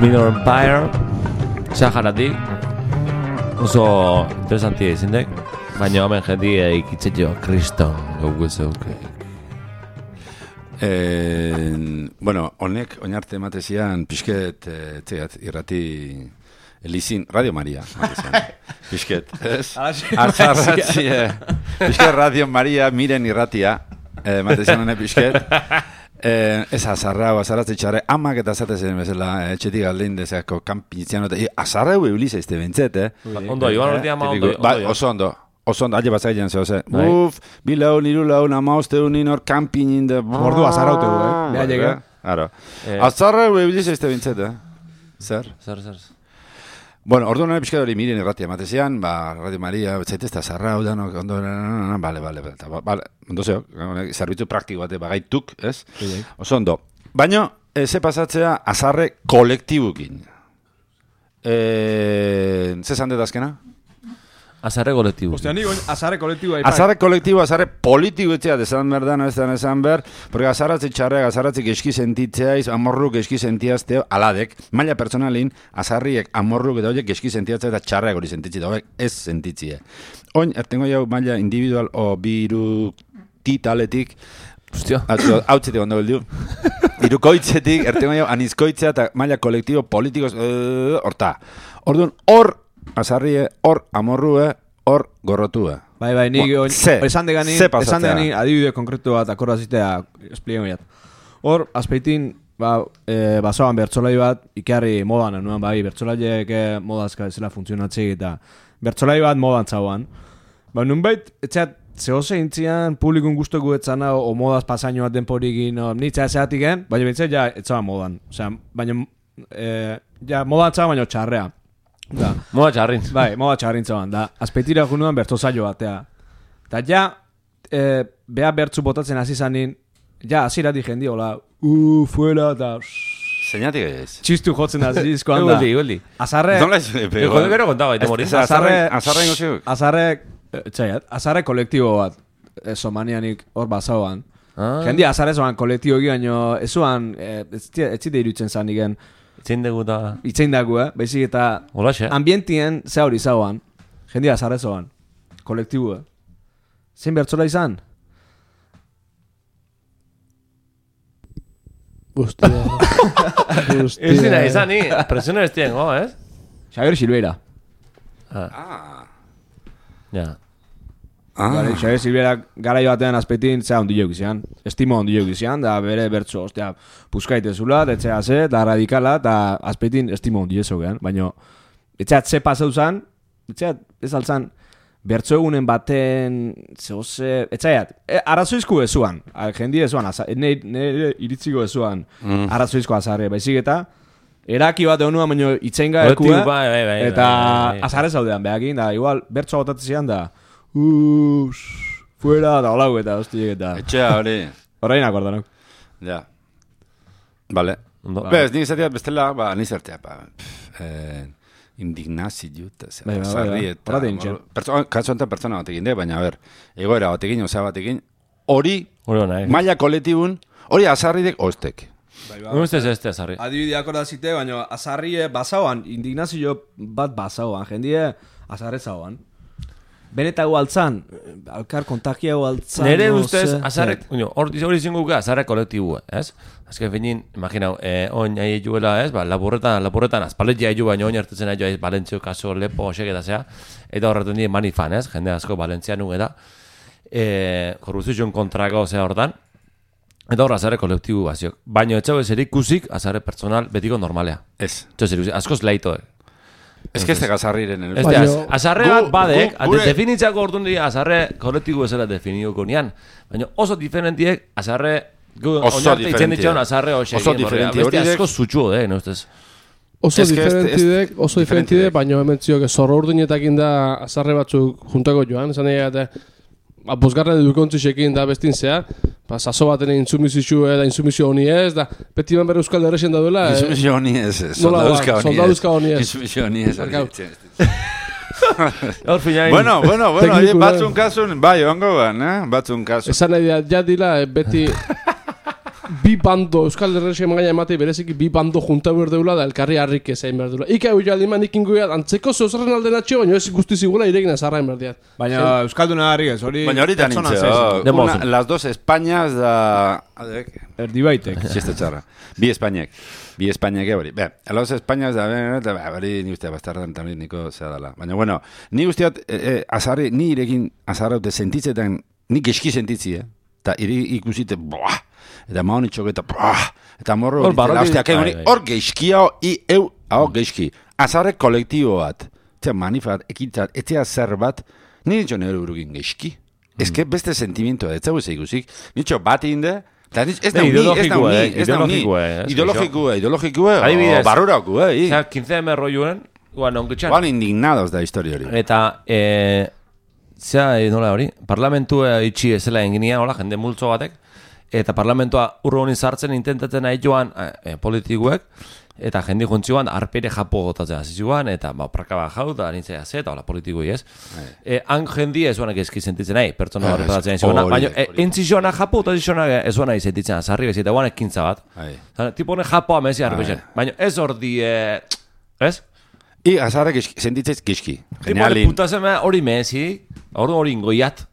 Minor Empire Saharatik oso interesantia izindek, baina hemen jendia ikitzetio kriston gaugu zeuke. Eh, bueno, honek oinarte ematezian pixket eh, txegat, irrati Elizin, Radio Maria pixket, ez? Artzarratzi, pixket Radio Maria miren irratia eh, ematezian honek pixket. Eh, ez azarra, azarratze txarre, amak eta zatezen bezala, etxetik aldein dezeako kanpinitzean, e, azarra egu ebiliza izte bentzet, eh? Ondo, Iban urtea ma ondo. Ba, oso ondo, oso ondo, alde batzak egin zehose. Uf, bi laun, iru laun, ama uste unin hor kanpinin de... Ordu azarra utegu, eh? Beha llega. Claro. Azarra egu ebiliza izte bentzet, eh? Zer? Zer, zer. Bueno, ordu nire pixka hori miren irratia ematezian, ba, Radio Maria, zaitezta zarra, udan, ondo, bale, bale, bale, ondo zeo, zerbitzu praktiko bate bagaituk, ez? Oso ondo. Baina, ze pasatzea azarre kolektibukin. Eh, ze zan azkena? Azarre kolektibu. Ostia, nigo, azarre kolektibu. Azarre kolektibu, azarre politiko etxea, desan berdan, ez den esan ber, porque azarratzi txarreak, azarratzik eski sentitzeaiz, amorruk eski sentiazteo, aladek, maila personalin, azarriek amorruk eta horiek eski sentiatzea eta txarreak hori sentitzi, da horiek ez sentitzie. Oin, ertengo jau maila individual o biru titaletik, Ostia. Hau txetik ondo beldu. Irukoitzetik, ertengo jau anizkoitzea eta maila kolektibo politikoz, horta. Orduan, hor, azarrie, hor amorrue, hor gorrotue. Bai, bai, nik Bueno, ze, esan degani, ze esan pasatzea. degani adibide konkretu bat akordazitea esplien goiat. Hor, azpeitin, ba, e, basoan bertsolai bat, ikarri modan anuan, bai, bertsolaiek e, modazka ezela funtzionatzei eta bertsolai bat modan zauan. Ba, nunbait, etxeat, zehose intzian, publikun guztoku etzana, o modaz pasaino bat denporikin, o, nitza ezeatik gen, baina bintzat, ja, etzaban modan. Osea, baina, e, ja, modan zauan, baina txarrea. Da. Moda txarrin. Bai, moda txarrin zauan, da. Azpeitira junuan bertso saio batea. Eta ja, e, beha bertzu botatzen hasi zanin, ja, azirati jendi, hola, uh, fuera, eta... Zeinatik ez. Txistu jotzen hasi dizkoan da. Egoldi, egoldi. Azarre... Nola ez? Egoldi gero kontaba, eta mori. Azarre, azarre ingo ziuk. Azarre, txaiat, azarre kolektibo bat, somanianik hor bazauan. Ah. Jendi azarre zoan kolektibo baino, ez zuan, ez zite irutzen zan igen, Itzein dugu da... itzein dago, eh? Baizik eta Olaxe. ambientien ze hori zauan. Jendi azarre zoan. Kolektibo, eh? Zein bertzola izan? Hostia. Hostia. Ez dira izan, ni. Presiona ez tiengo, ez? Xavier Silveira. Ah. Ja. Ah. Vale, Xavier Silveira garai batean azpetin zea ondi joki zian. Estimo ondi joki zian, da bere bertso, ostia, puskaite zula, etxea ze, da radikala, eta azpetin estimo ondi jeso gehan. Baina, etxeat ze pasau zan, etxeat ez altzan, bertso egunen baten, zehose, etxeat, e, arazoizko ezuan, jendi ezuan, nire iritziko ezuan, Mm. arazoizko azarre, baizik eta, eraki bat egunuan, baina itzenga Kolektibo, ekue, bai, bai, bai, eta bai, bai. azarre zaudean, behakin, da, igual, bertso botatzen zian, da, Uuu, fuera, da holau eta hostiek eta... Etxea hori. Horrein akordanok. Ja. Vale. Ondo. Bez, nik izatea bestela, ba, nizertea, ba, pff, eh, indignazio eta zer, Bai, bai, bai, sarri bai. eta... Horrein txen. Pertsona, kasu enten pertsona batekin, de, baina, a ber, egoera batekin, osea batekin, hori, Hori hona, eh? maila kolektibun, hori azarridek ostek. Nuen ustez ez da, Sarri. Adibideak hor da zite, baina azarrie basauan, indignazio bat basauan, jendie azarre zauan. Benetago altzan, alkar kontakiago altzan. Nere no ustez, sé, azarrek, zer. hori zinguka, azarrek kolektibua, ez? Azken finin, imaginau, eh, oin ahi juela, ez? Ba, lapurretan, lapurretan, azpaletia ahi ju, baina oin hartetzen ahi ez, Valentzio, kaso, lepo, osek eta zea. Eta horretu nire manifan, ez? Jende asko Valentzia nuge da. Eh, korrupzioen kontrako zea hortan. Eta hor, azarre kolektibu baziok. Baina etxau ez erikusik, azarre personal betiko normalea. Ez. Txos erikusik, askoz laitoek. Ez que ez tega azarriren. Ez Baina- da, azarre bat Gu- badek, gu- gure- definitzako orduan dira azarre kolektibu ezela definiuko nian. Baina oso diferentiek azarre, gu Oso oinarte itzen diferentia. ditxon azarre hoxe. Oso diferentia. Beste Horidek- asko zutxu, eh, no ustez. Oso Ez que ez- diferentidek, ez- oso diferentidek. diferentidek, baina hemen ziok zorro urdinetakin da azarre batzuk juntako joan, esan egin eta ba, bosgarren edukontzisekin da bestin zea, ba, saso baten insumizio da insumizio honi ez, da beti man bere euskal derrexen da duela, eh, Insumizio honi ez, ez, Nola ba, soldaduzka honi ez. soldaduzka honi ez. Insumizio honi ez. Barkau. Hor finain. Bueno, bueno, bueno, Tekniku, eh, batzun kasun, bai, ongo ban, eh? Batzun kasun. esan nahi da, ja dila, eh, beti bi bando, euskal derrexen magaina ematei bereziki bi bando junta behar deula da elkarri harrik ezain behar deula. Ika hau jaldi man ikin goiat, antzeko zeuzarren alde natxio, baina ez guztiz igula irekin azarrain behar diat. Baina Euskalduna harri ez, hori... Baina hori da pertsona nintzen, zez. De una, mozo. las dos Españas da... Adek, Erdi baitek. txiste txarra. Bi Espainiak. Bi Espainiak hori. Be, las Españas da... Be, hori ni ustea bastardan también niko zea dala. Baina, bueno, ni usteat, eh, eh, azarri, ni irekin azarraute sentitzetan, ni geski sentitzi, eh? Eta iri ikusite, boah! Eta maon itxok eta, boah! Eta morro Hor hori, barrotik- usteak, bai, hori, bai. hor geizki hau, i eu, hau geizki. Azarre kolektibo bat, eta manifat, ekitzat, etzea zer bat, nire ditxo nire urugin geizki. Ez que beste sentimentoa, ez zau ez ikusik. Nitxo bat inde, eta nitxo, ez Ne, da uni, ez da ideologikoa, uni, eh, ez da uni. ideologikoa, eh, ez Ideologikoa, ideologikoa, Adibidez. barrurako, eh, Osea, quince eme rolloen, guan onketxan. Juan indignados da historia hori. Eta, eh, zea, eh, nola hori, parlamentua itxi ezela enginia, hola, jende multzo batek, eta parlamentua urro honi sartzen intentatzen nahi joan eh, politikuek, eta jendi juntzioan arpere japo gotatzea zizuan, eta ba, prakaba jau, da nintzea ze, eta hola politikui ez. Eh, han jendi ez zuanak ezki sentitzen nahi, pertsona Ah, hori patatzen ez, zizuana, hori, baina hori. eh, entzizioana japo, eta zizuanak ez zuanak sentitzen, azarri bez, eta guan ekintza bat. Bai. Zara, tipo honek japoa mezi Ai. arbeixen, baina ez hor di, eh, ez? I azarrak sentitzez giski. Tipo honek Genialin. putaseme hori mezi, hori hori ingoiat.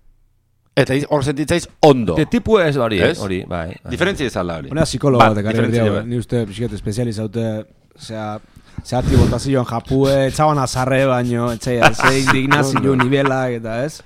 Eta iz- hor sentitzaiz ondo. De tipo ez hori, Ez? hori, bai. bai. Diferentzia ezala hori. Una psikologo Bat, batek ari diferentzia berdi hau, bat. ni uste pixket espezializaute, osea, zehati botazioan japue, etxaban azarre baino, etxaia, ze indignazio nivelak eta ez?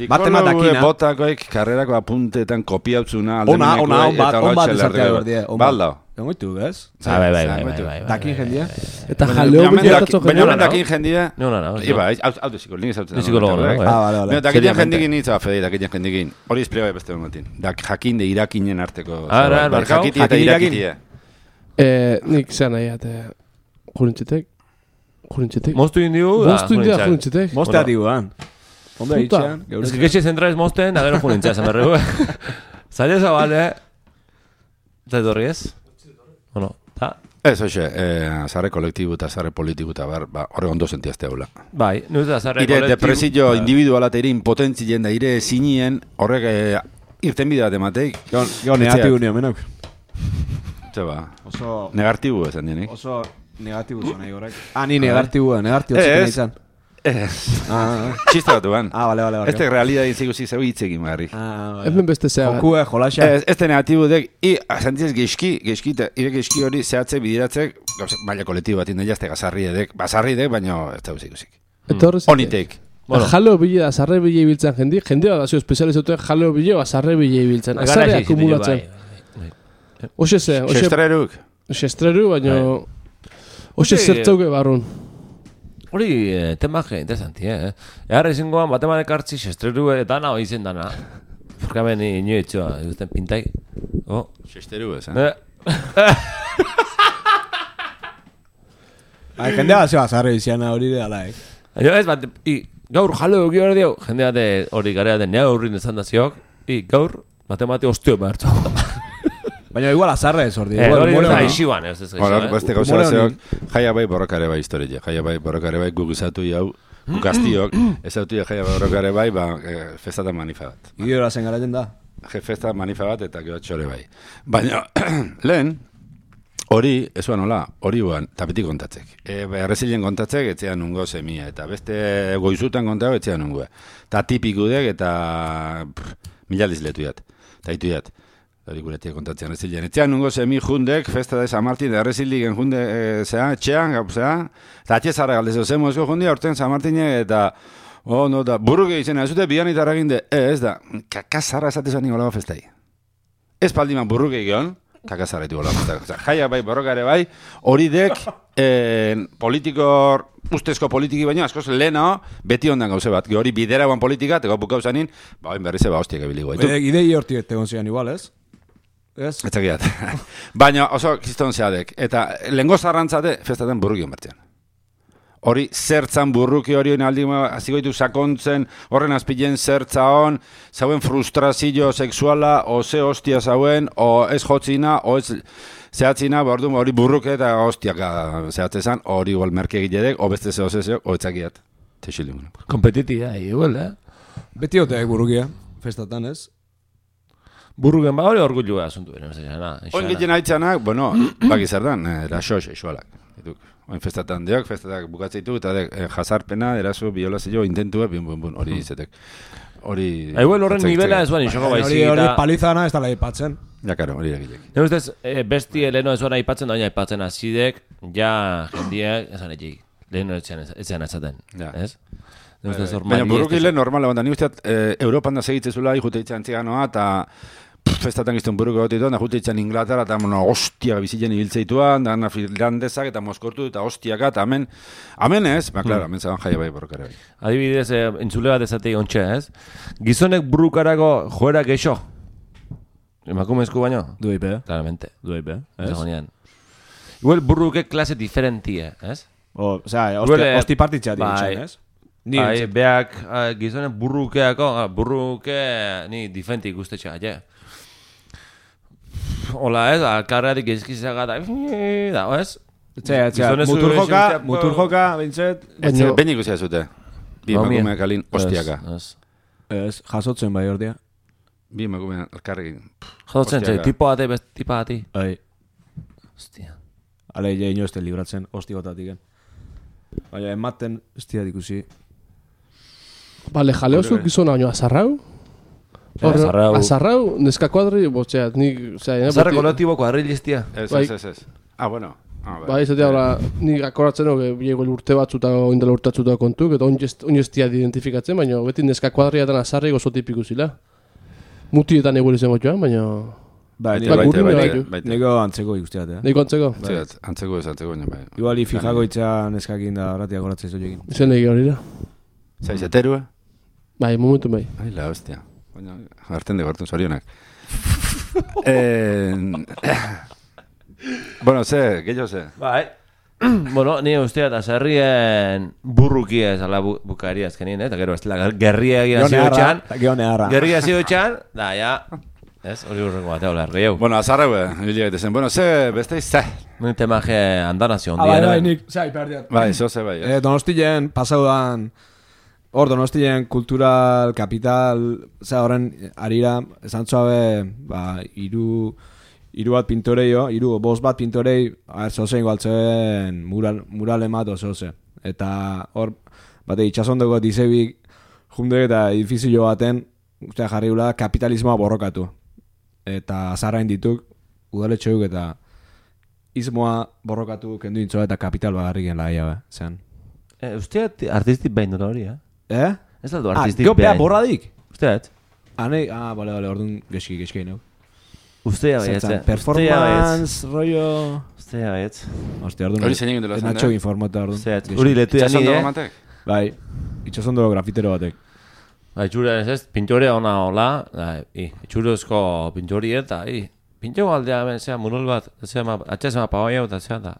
Baten bat Psikologo dakina. botakoek karrerako apuntetan kopiautzuna Ona, ona, on bat, on bat lotxe ezatea larrega. berdie. on Bal bat. da. Egoitu, ez? Ah, bai, bai, bai, Zan, bai, baitu. bai, bai, Dakin bai, jendia? bai. Eta Baina jaleo hemen bilatatzo daki- Baina jendea. hemen dakin jendia... No, no, no. Iba, hau hau duziko, nik ezautzen. Ni psikologo, no, bai. Ah, vale, vale. Baina dakitzen Seriamente. jendikin nitza, Fede, dakitzen jendikin. Hori esplioa beste motin. Dak jakin de irakinen arteko. Ah, zerbait. ara, Bai, barkau. Jakiti eta Jakin irakin. irakitie. Eh, nik zean nahi ate jurintzitek, jurintzitek. Moztu indiu, da, Moztu india junintzak. jurintzitek. Mostea tiguan. Ondo Puta. eitxean, Ez que getxe zentraiz mozten, da gero junintzak, zan berregu. Zaila zabale, zait horri ez? Bueno, ta? Ez, hoxe, eh, azarre kolektibu eta azarre politiku eta bar, ba, horre ondo sentiazte haula. Bai, nuz da zarre Ire kolektibo. depresio Bai. individuala eta ire impotentzien da, ire zinien, horrek eh, irten bide bat emateik. Jo, negatibu nio, menak. Zeba, Oso, negatibu esan dienik. oso negatibu zuen nahi horrek. Ah, ni negatibu, negatibu Ez. ziken izan. Ez, Ah, ah, txiste bat duan. ah, vale, vale, vale. Ez te realidadin zikusi zeu hitzekin barri. Ah, vale. Hemen beste zea. bat. Jokue, jolaxa. Ez, ez te negatibu dek, i, sentiz geizki, geizki, eta ire geizki hori zehatze bidiratzek, gauze, baina kolektibo bat inda jazte gazarri edek, bazarri edek, baina ez da ikusik. Eta horrez. Onitek. Bueno. Jaleo bile da, zarre bile ibiltzen jendi, jendea da zio espezializaute jaleo bile da, zarre bile ibiltzen. Gara Azarre ezi, akumulatzen. bai, bai. Oxe ze, oxe, Sestreruk. oxe estreru, baina... Bai. Oxe Oxe- zertzauke barrun. Hori, eh, temaje, interesanti, eh? Eharra izangoan, bateman ekartzi, estreru eta naho izen dana. Porque hemen inoetxoa, ikusten pintai. Oh, Sesteru ez, eh? eh? Ai, jendea zeba zarre iziana hori de ala, eh? Baina ez, bat, i, gaur jalo egi hori dio, jende bate hori garea den nea hurrin ezan da ziok, i, gaur, matemati ostio behartu. Baina igual azarre ez ordi. Eh, Igual, hori humore da honi. ixiban, ez ez Bueno, gaixo, beste eh? gauza Humore zeok, jaia bai borrokare bai historia, jaia bai borrokare bai gugizatu jau, gukaztiok, ez autu jaia bai borrokare bai, ba, eh, festatan manifa bat. Idiora zen garatzen da. Je festa manifa bat eta gero txore bai. Baina, lehen, Hori, ez zuen nola, hori guan, tapetik kontatzek. E, Errezilien kontatzek, etxean nungo semia, eta beste goizutan kontago, etxean nungo. Eta tipikudek, eta pff, mila dizletu jat, eta hitu jat. Hori guretik kontatzen Errezilien. Etxean nungo semi jundek, festa de San Martin, Erreziligen junde, e, zea, etxean, zea, eta atxezarra galdezio, zemozko jundi, aurten San Martine, eta, oh, no, da, burruke izena, ez dute bian itarra ginde, e, ez da, kakazarra esatezan niko lago festai. Ez paldiman burruke egion, kakazarra ditu gola festai. Jaia bai, borrokare bai, hori dek, eh, politiko, ustezko politiki baino, askoz leheno, beti ondan gauze bat. Hori bidera guan politika, teko bukau zanin, ba, oin berrize ba, hostiak ebiliko. Bede, idei horti egon zian igual, ez? Ez? Etzakiat. Baina oso kiston zeadek. Eta lehengo zarrantzate, festaten burruki onbertzean. Hori zertzan burruki hori aldi azigoitu sakontzen, horren azpilen zertza hon, zauen frustrazio sexuala, o ze hostia zauen, o ez jotzina, o ez zehatzina, bordu hori burruke eta hostiaka zehatzezan, hori igual merke egitedek, o beste zeo zezeo, o etzakiat. Teixilimun. Kompetitia, igual, eh? Beti hoteak burrukia, festatan, ez? Burruken ba hori orgullu asuntu beren, zena. Oin gitien haitzanak, bueno, baki zer dan, eraso sexualak. Oin festatan diok, festatak bukatzeitu, eta dek, eh, jazarpena, eraso, biolazio, intentua, bin, bin, bin, hori izetek. Hori... Igual horren nivela ez buen inxoko baizik. Hori palizana ez da aipatzen. Ja, karo, hori egitek. Ne ustez, eh, besti leheno ez buen aipatzen, da baina aipatzen azidek, ja jendiek, esan etxik, leheno etxean etzaten, ez? Baina burrukile normala, banda, ni usteat, Europan da segitzezula, ikute itxan txiganoa, eta festatan giztun buruko gotitu, da jute itxan Inglaterra, eta bueno, hostiak bizitzen ibiltzeituan, da finlandesak eta moskortu, eta hostiaka, eta amen, amen ez, ba, klaro, amen zaban jaia bai borrokare bai. Adibidez, eh, entzule bat ezatik ontxe, ez? Gizonek burrukarako joera geixo? Emakumezko baino? Duipe, Claramente. duipe, ez? Zagonean. Igual burruke klase diferentie, ez? O, osea, Igual, hosti partitxat bai. ditxan, ez? Ni Bai, entzat. beak uh, gizonek burrukeako, ah, burruke ni diferente ikustetxa, ja. Hola, ez, alkarratik izkizaga da, da, ez? Txea, txea, Gizonezu muturjoka, esintzeko- muturjoka, bintzet, Baina... Ben ikusia zute. Bi Ba, mie. emakumeak alin hostiaka. Ez, ez, jasotzen bai ordia. Bi emakumeak alkarrekin. Jodotzen, txai, Hostiaka. tipo bate, best, tipo bati. Ai, Hostia. ale, ja inoeste libratzen, hosti gotatik. Baina, ematen, ez dira ikusi. Bale, jaleozu gizona baino azarrau? Hor, azarrau. azarrau, neska kuadri, botxea, nik, osea, Zarra kolektibo kuadrilistia. Ez, Bai. ez, ez, ez. Ah, bueno. Ah, Bai, ez da, nik akoratzen no, biego urte batzuta, oindela urte batzuta kontuk, eta oineztia identifikatzen, baina beti neska kuadriatan azarri gozo tipiku zila. Mutietan eguel izango joan, baina... Bai, Baite, nik- Bai, baite, gurri baite, bai, baite. Nego antzeko ikusteat, eh? Neiko antzeko? Antzeko, antzeko ez, antzeko baina, bai. Igual, ifijako itxan eskakin da horretiak horatzea zoiekin. Zen legi hori da. Zaiz, eterua? Bai, momentu bai. Ai, la hostia. Baina, harten de gortun zorionak. eh, bueno, ze, gehiago ze. Bai. Bueno, ni ustea eta zerrien burrukia ez ala bu, bukaria azkenien, eh? Eta gero, ez la gerria egia zioetxan. Geone harra. Gerria zioetxan, da, ja. Ez, hori urrengo batea olar, gehiago. Bueno, azarra, be, hili gaitezen. Bueno, ze, beste ze. Nuen temaje andanazio Ah, bai, ondien. bai, nik, zai, perdiat. Bai, zo ze bai. Eh? Eh, Donostien, pasaudan, hor Donostien kultural, kapital, za horren arira, esan zuabe, ba, iru, iru bat pintoreio, iru, bost bat pintorei, a zozein galtzen mural, mural emat ozoze. Eta hor, bate, itxasondoko dizebik, junde eta edifizio baten, ustea jarri gula, kapitalismoa borrokatu. Eta azarrain dituk, udaletxoik eta ismoa borrokatu kendu intzoa eta kapital bagarri gen laia, be, zean. Eh, usteat artistik behin dut hori, eh? Eh? Ez aldo Ah, artistik gero bea behin. borradik? Usteat? Ah, nahi, ah, bale, bale, orduan geski, geski neu. Ustea baietz, Zertzan, eh? performance, rollo... Ustea baietz. Hostia, orduan... Hori zein egin dela zen, Natxo eh? informata, orduan. Usteat, geski. uri letu da Itxasondo nire, eh? matek? Bai, itxasondolo grafitero batek. Ba, itxura ez ez, pintore ona hola, da, i, itxurozko pintore eta, i, pintxo aldea, ben, zea, mural bat, zea, ma, atxe zema paoia eta zea, da,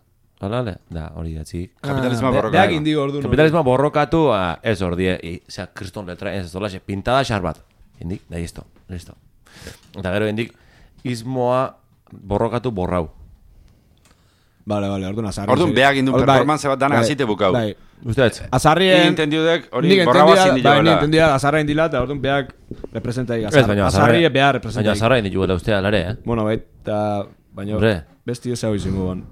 holale, da, hori datzi. Kapitalismoa Ah, borroka. Beak indigo orduan. Kapitalismoa borrokatu, ah, ez ordie, i, zea, kriston letra, ez, dolaxe, pintada xar bat. Indik, da, listo, listo. Eta gero, indik, ismoa borrokatu borrau. Bale, bale, orduan azarri. Orduan beak indun Hor, bai, performance bat dana bai, azite bukau. Bai, Usteat? azarrien... Ni entendiudek, hori Nik borraba entendia, zindi bai, ni joela. entendia azarra indila, eta orduan beak representa Ez, baina azarri azarra, beha baina representa azarra indi juela ustea, lare, eh? Bueno, bai, eta Baina Hombre. besti ez hau izango ban.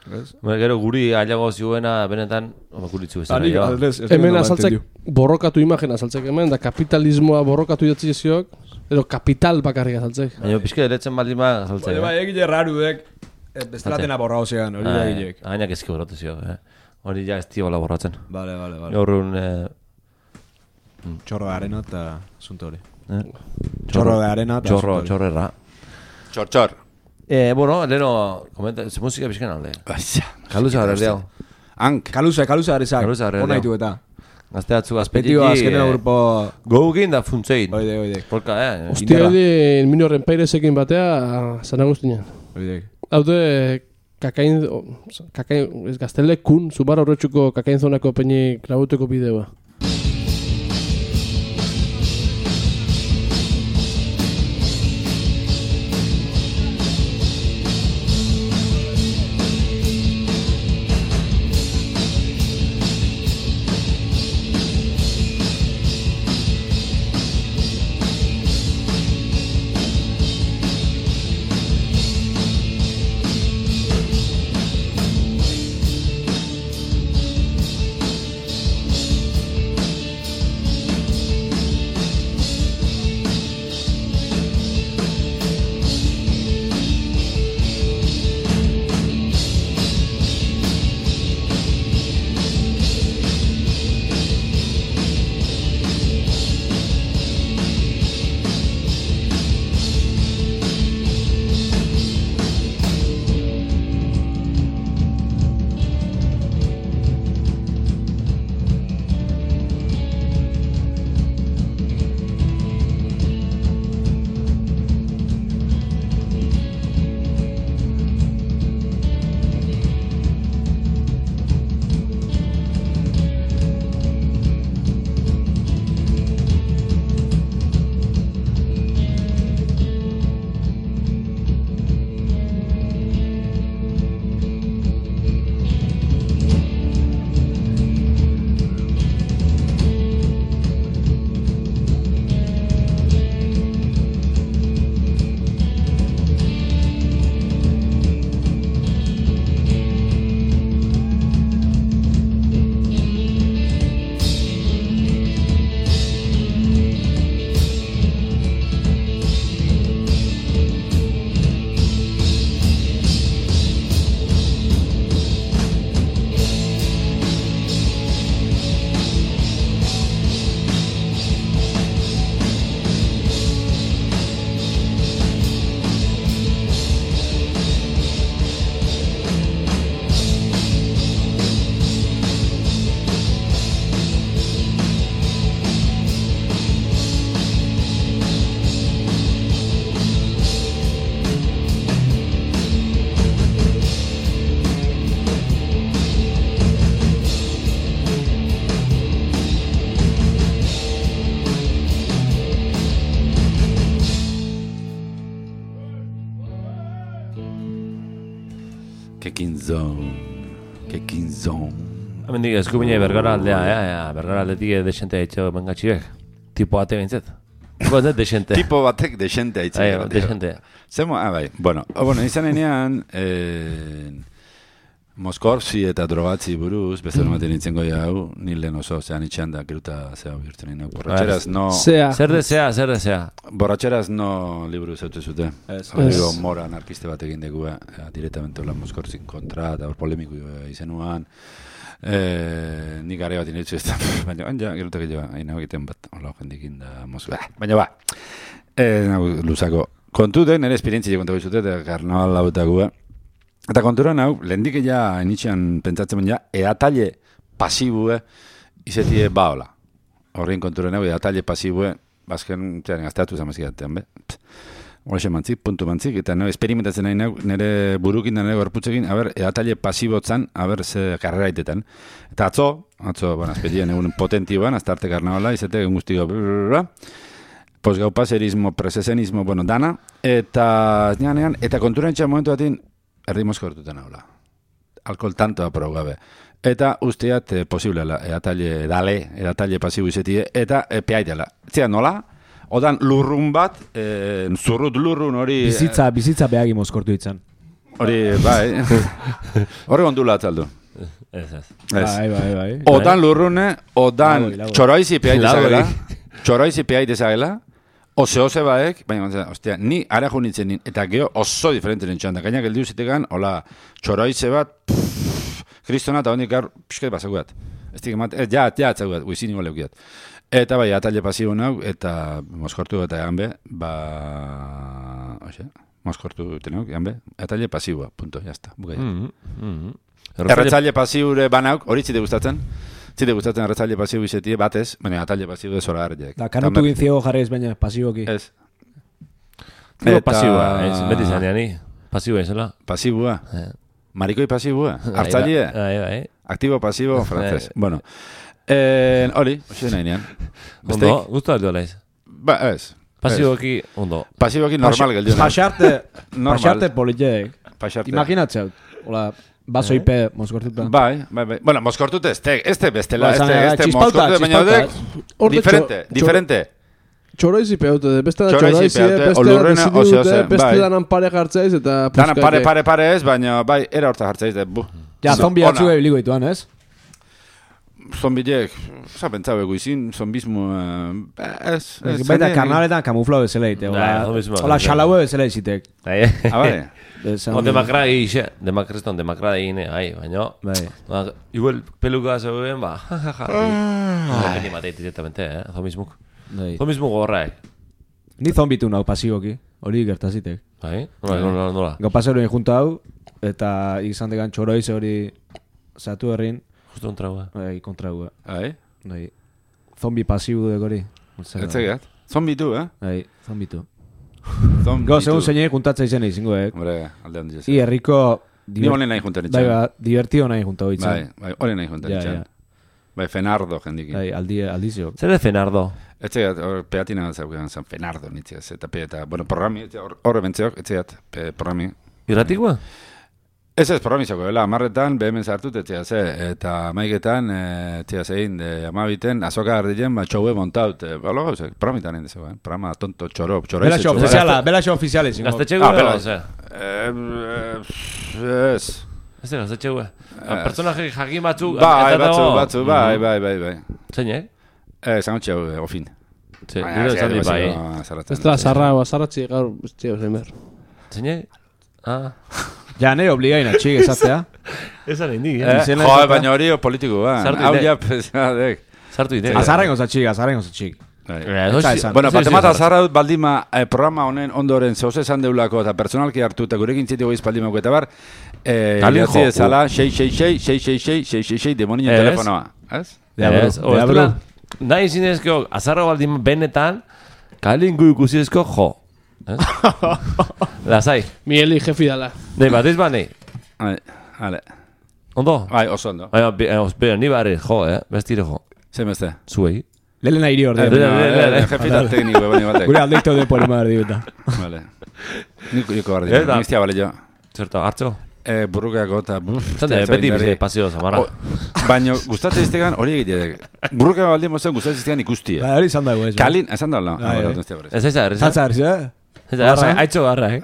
Hombre, gero guri ailago ziuena benetan, home, guritzu bezala. Anik, jo. aldez, ez Hemen genuen azaltzek entendiu. borrokatu imagen azaltzek hemen, da kapitalismoa borrokatu idatzi ziok, edo kapital bakarrik azaltzek. Baina pixke eretzen baldin ba, saltzea. Baina bai, egile rarudek, bestelatena borra hozean, hori da egilek. Gainak ezki borratu zio, eh? Hori ja ez tiola borratzen. Vale, vale, vale. Gaur un... Eh, Txorro de arena eta asunto hori. eh? Txorro de arena eta Txorro, asunto hori. txorrerra. Txor, txor. Eh, bueno, leheno, komenta, ze musika pixken alde. Aixa. Kaluza gara diau. Hank. Kaluza, kaluza arizak. Kaluza arrea Hona diau. ditu eta. Gazteatzu Petio azpetiki... azkeneo grupo... Gogin da funtzein. Oide, oide. Polka, eh? Ostia, hori minoren peirezekin batea, San Agustinean. Oide. Haude, kakain, o, kakain, ez gaztele kun, zubar horretxuko kakain zonako peinik labuteko bideoa. Kekin zone. Kekin zone. Hemendik eskubine Bergara aldea, ja, ja, Bergara aldetik desente haitxo bengatxiek. Tipo ate bintzet. Tipo ate desente. Tipo batek desente haitzen. Ai, desente. Zemo, ah, bai. Bueno, oh, bueno, izan enean, eh, Moskorzi eta drogatzi buruz, beste horrematen nintzen goia hau, nil lehen oso, zean itxean da, geruta zea bihurtzen nina. Borratxeraz no... Zea. Zer desea, zer desea. Borratxeraz no liburu zautu zute. Ez. Horrego mora anarkiste bat egin dugu, eh, directamente hola Moskorzin kontra, eta hor polemiku izenuan. Eh, nik gare bat inetzu ez da, baina ja, gerutak jo, hain hau egiten bat, hola jendikin da Moskva. Baina ba, eh, nago, luzako. Kontu den, nire esperientzia kontako izute, eta karnaval lautakua. Eta konturan hau, lehendik ja initxean pentsatzen ja, eatalle pasibue izetie baola. Horrein konturan hau, eatalle pasibue, bazken, txaren, gazteatu zamazkidatean, be? Hoxe mantzik, puntu mantzik, eta no, experimentatzen nahi nahi, nire burukin da nire gorputzekin, haber, eatalle pasibotzan, haber, ze karrera itetan. Eta atzo, atzo, bueno, azpetien egun potentioan, azta arte karnavala, izate, egun guztiko, posgaupaserismo, presesenismo, bueno, dana, eta, nean, eta konturan txan momentu batin, erdi mozko hortutan haula. Alkohol tantoa prou gabe. Eta usteat eh, posiblela, eatalle dale, eatalle pasibu izetie, eta e, peaitela. Zia nola? Odan lurrun bat, e, zurrut lurrun hori... Bizitza, bizitza behagi mozkortu ditzen. Hori, bai. Horre ondula atzaldu. Ez, ez. Bai, bai, bai. Odan lurrune, odan Lagoi, lagoi. txoroizi peai Lagoi. dezagela. Txoroizi peai dezagela. Ose ose baek, baina, ostia, ni ara junitzen nin, eta geho oso diferente nintxan. Da, gainak eldiu zitegan, hola, txoroize bat, pff, kristona, eta hondik gaur, pixket bazaguat. Ez dik emat, ez, ja, ja, atzaguat, guizin igual leukiat. Eta bai, atalle pasibo nau, eta moskortu eta egan be, ba, oxe, moskortu duten nau, egan be, atalle pasiboa, punto, jazta, bukai. Mhm, mhm. Erretzaile pasiure banauk, hori zite gustatzen? Zite gustatzen erretzaile pasiu izetie batez, baina atalle pasiu de zora harriak. Da, kanutu ginziego jarrez, baina pasiboki. Ez. Eta... Pasiua, ez, beti zanean ni. Pasiua izela. Pasibua. Eh. Marikoi pasibua. Hartzaile. Bai, bai. Aktibo pasibo francés. Bueno. Eh, hori, hoxe nahi nean. Ondo, gustu aldo laiz. Ba, ez. Pasiboki, ondo. Pasiboki normal geldiu. Pasarte, Normal. pasarte politek. Pasarte. Imaginatzeu. Hola, baso ipe moskortuta. Bai, bai, bai. Bueno, moskortute, este, este bestela, Ba, este, esan, este txispauta, moskortute, baina txispauta. odek, Orde diferente, txo- diferente. Txoroizi peute, beste da Txoroizi txoroizi, peute, beste da olurrena, dezidu ose, dute, ose, beste bai. danan pare jartzaiz, eta Dana puskake. pare, pare, pare ez, baina bai, era horta jartzaiz, de, bu. Ja, zombi Ona. atzu ebiliko dituan, ez? Zombiek, oza, pentsau eguizin, zombismo, eh, ez, ez. Baita zene- karnaletan kamuflau bezala ite. Bai, zombismoa. Hola, xalaue bezala izitek. Bai, Ah, bai. O demakra egixe, demakreston, demakra egine, bai, baina... Bai. Ba, igual peluka zegoen, ba, jajaja. Ah. Beni mateit directamente, eh, zombismuk. Bai. Zombismuk gorraek. Ni zombitu nau pasiboki. Hori gertazitek. Bai, nola, nola, nola. Gau paseroen junta hau, eta izan degan txoroiz hori zatu herrin, Justo un traua. bai, kontra hua. Bai, Bai. Zombi pasibu dek hori. etzegat. Zombitu, eh? Bai, zombitu. Zombitu. Go, segun zeinei juntatza izan izango, eh? Hombre, aldean dizez. I herriko... Ni honen nahi juntan Bai, itxan. ba, divertio nahi junta hori Bai, bai, honen nahi juntan Ja, itxan. ja. Bai, Fenardo jendikin. Bai, aldi, aldizio. Zer de Fenardo? Etzegat, hor peatina zaukean zen Fenardo nitziaz. Eta pe, eta, bueno, programi, etxe- hor- horre bentzeok, etzegat, pe, programi. Irratikoa? Ez ez, programi zako, bela, amarretan, behemen zartut, etxea ze, eta maiketan, e, etxea zein, de, amabiten, azoka ardien, ba, txoue montaut, e, ba, logo, ze, programitan egin dezego, eh? Programa tonto, txoro, txoro. Bela xo ofiziala, bela xo ofiziala izango. Gaztetxegue Ah, edo, bela. ze? Ez. Ez da, gaztetxegue. Personaje jakin batzuk... Bai, eta batzu, dago- batzu, bai, bai, bai, bai. Zeinek? Eh, zango txau, eh, ofin. Ze, Baina, gero ez esan di gara, bai. baziko zarratzen. Ez da, zarra, zarratzi, gaur, ez txeo, zemer. Zeinek? Ah. Ja, nahi obligaina, txik, esatea. Esan indi, Eh, Izena jo, esatea. baina hori politiko, ba. Sartu Hau ide. ja, pesadek. Sartu ide. Azarren goza txik, azarren goza txik. Bai. Eta esan. Bueno, Sí, sí, batemata sí, zarra dut baldima eh, programa honen ondoren zehoz esan deulako eta personalki hartu eta gurekin txetiko iz baldimako eta bar eh, Kalin idatzi jo, ezala sei sei sei sei sei sei sei sei sei demonien Ez. telefonoa. Ez? Deabru, Ez, o, deabru. ez dela, nahi zinezko, azarro baldin benetan, kalingu ikusizko jo. Ez? Lasai. Mieli jefi dala. Nei, bat ez ba, nei. Bai, vale. Ondo? Bai, oso ondo. Baina, bi- eh, espera, ni barri, jo, eh? Bestire jo. Zein beste? Zuei. Lehen nahi iri Eh, ordean. Dele, dele, dele. eh, Jefita tekniko, baina batek. Gure aldeikta de poli madar diuta. Vale. Niko, niko bardi. Ez da. Nistia bale jo. Zerto, hartzo? Eh, burrukeako eta... Zate, beti bizi pasio zamarra. Baina, gustatzen iztegan hori egitek. Burrukeako baldin mozen gustatzen iztegan ikustia. Ba, hori izan dago ez. Kalin, esan da, no? Bai, bai. Ez ez da, ez Zantza harriz, eh? Ez da, haitxo garra, eh?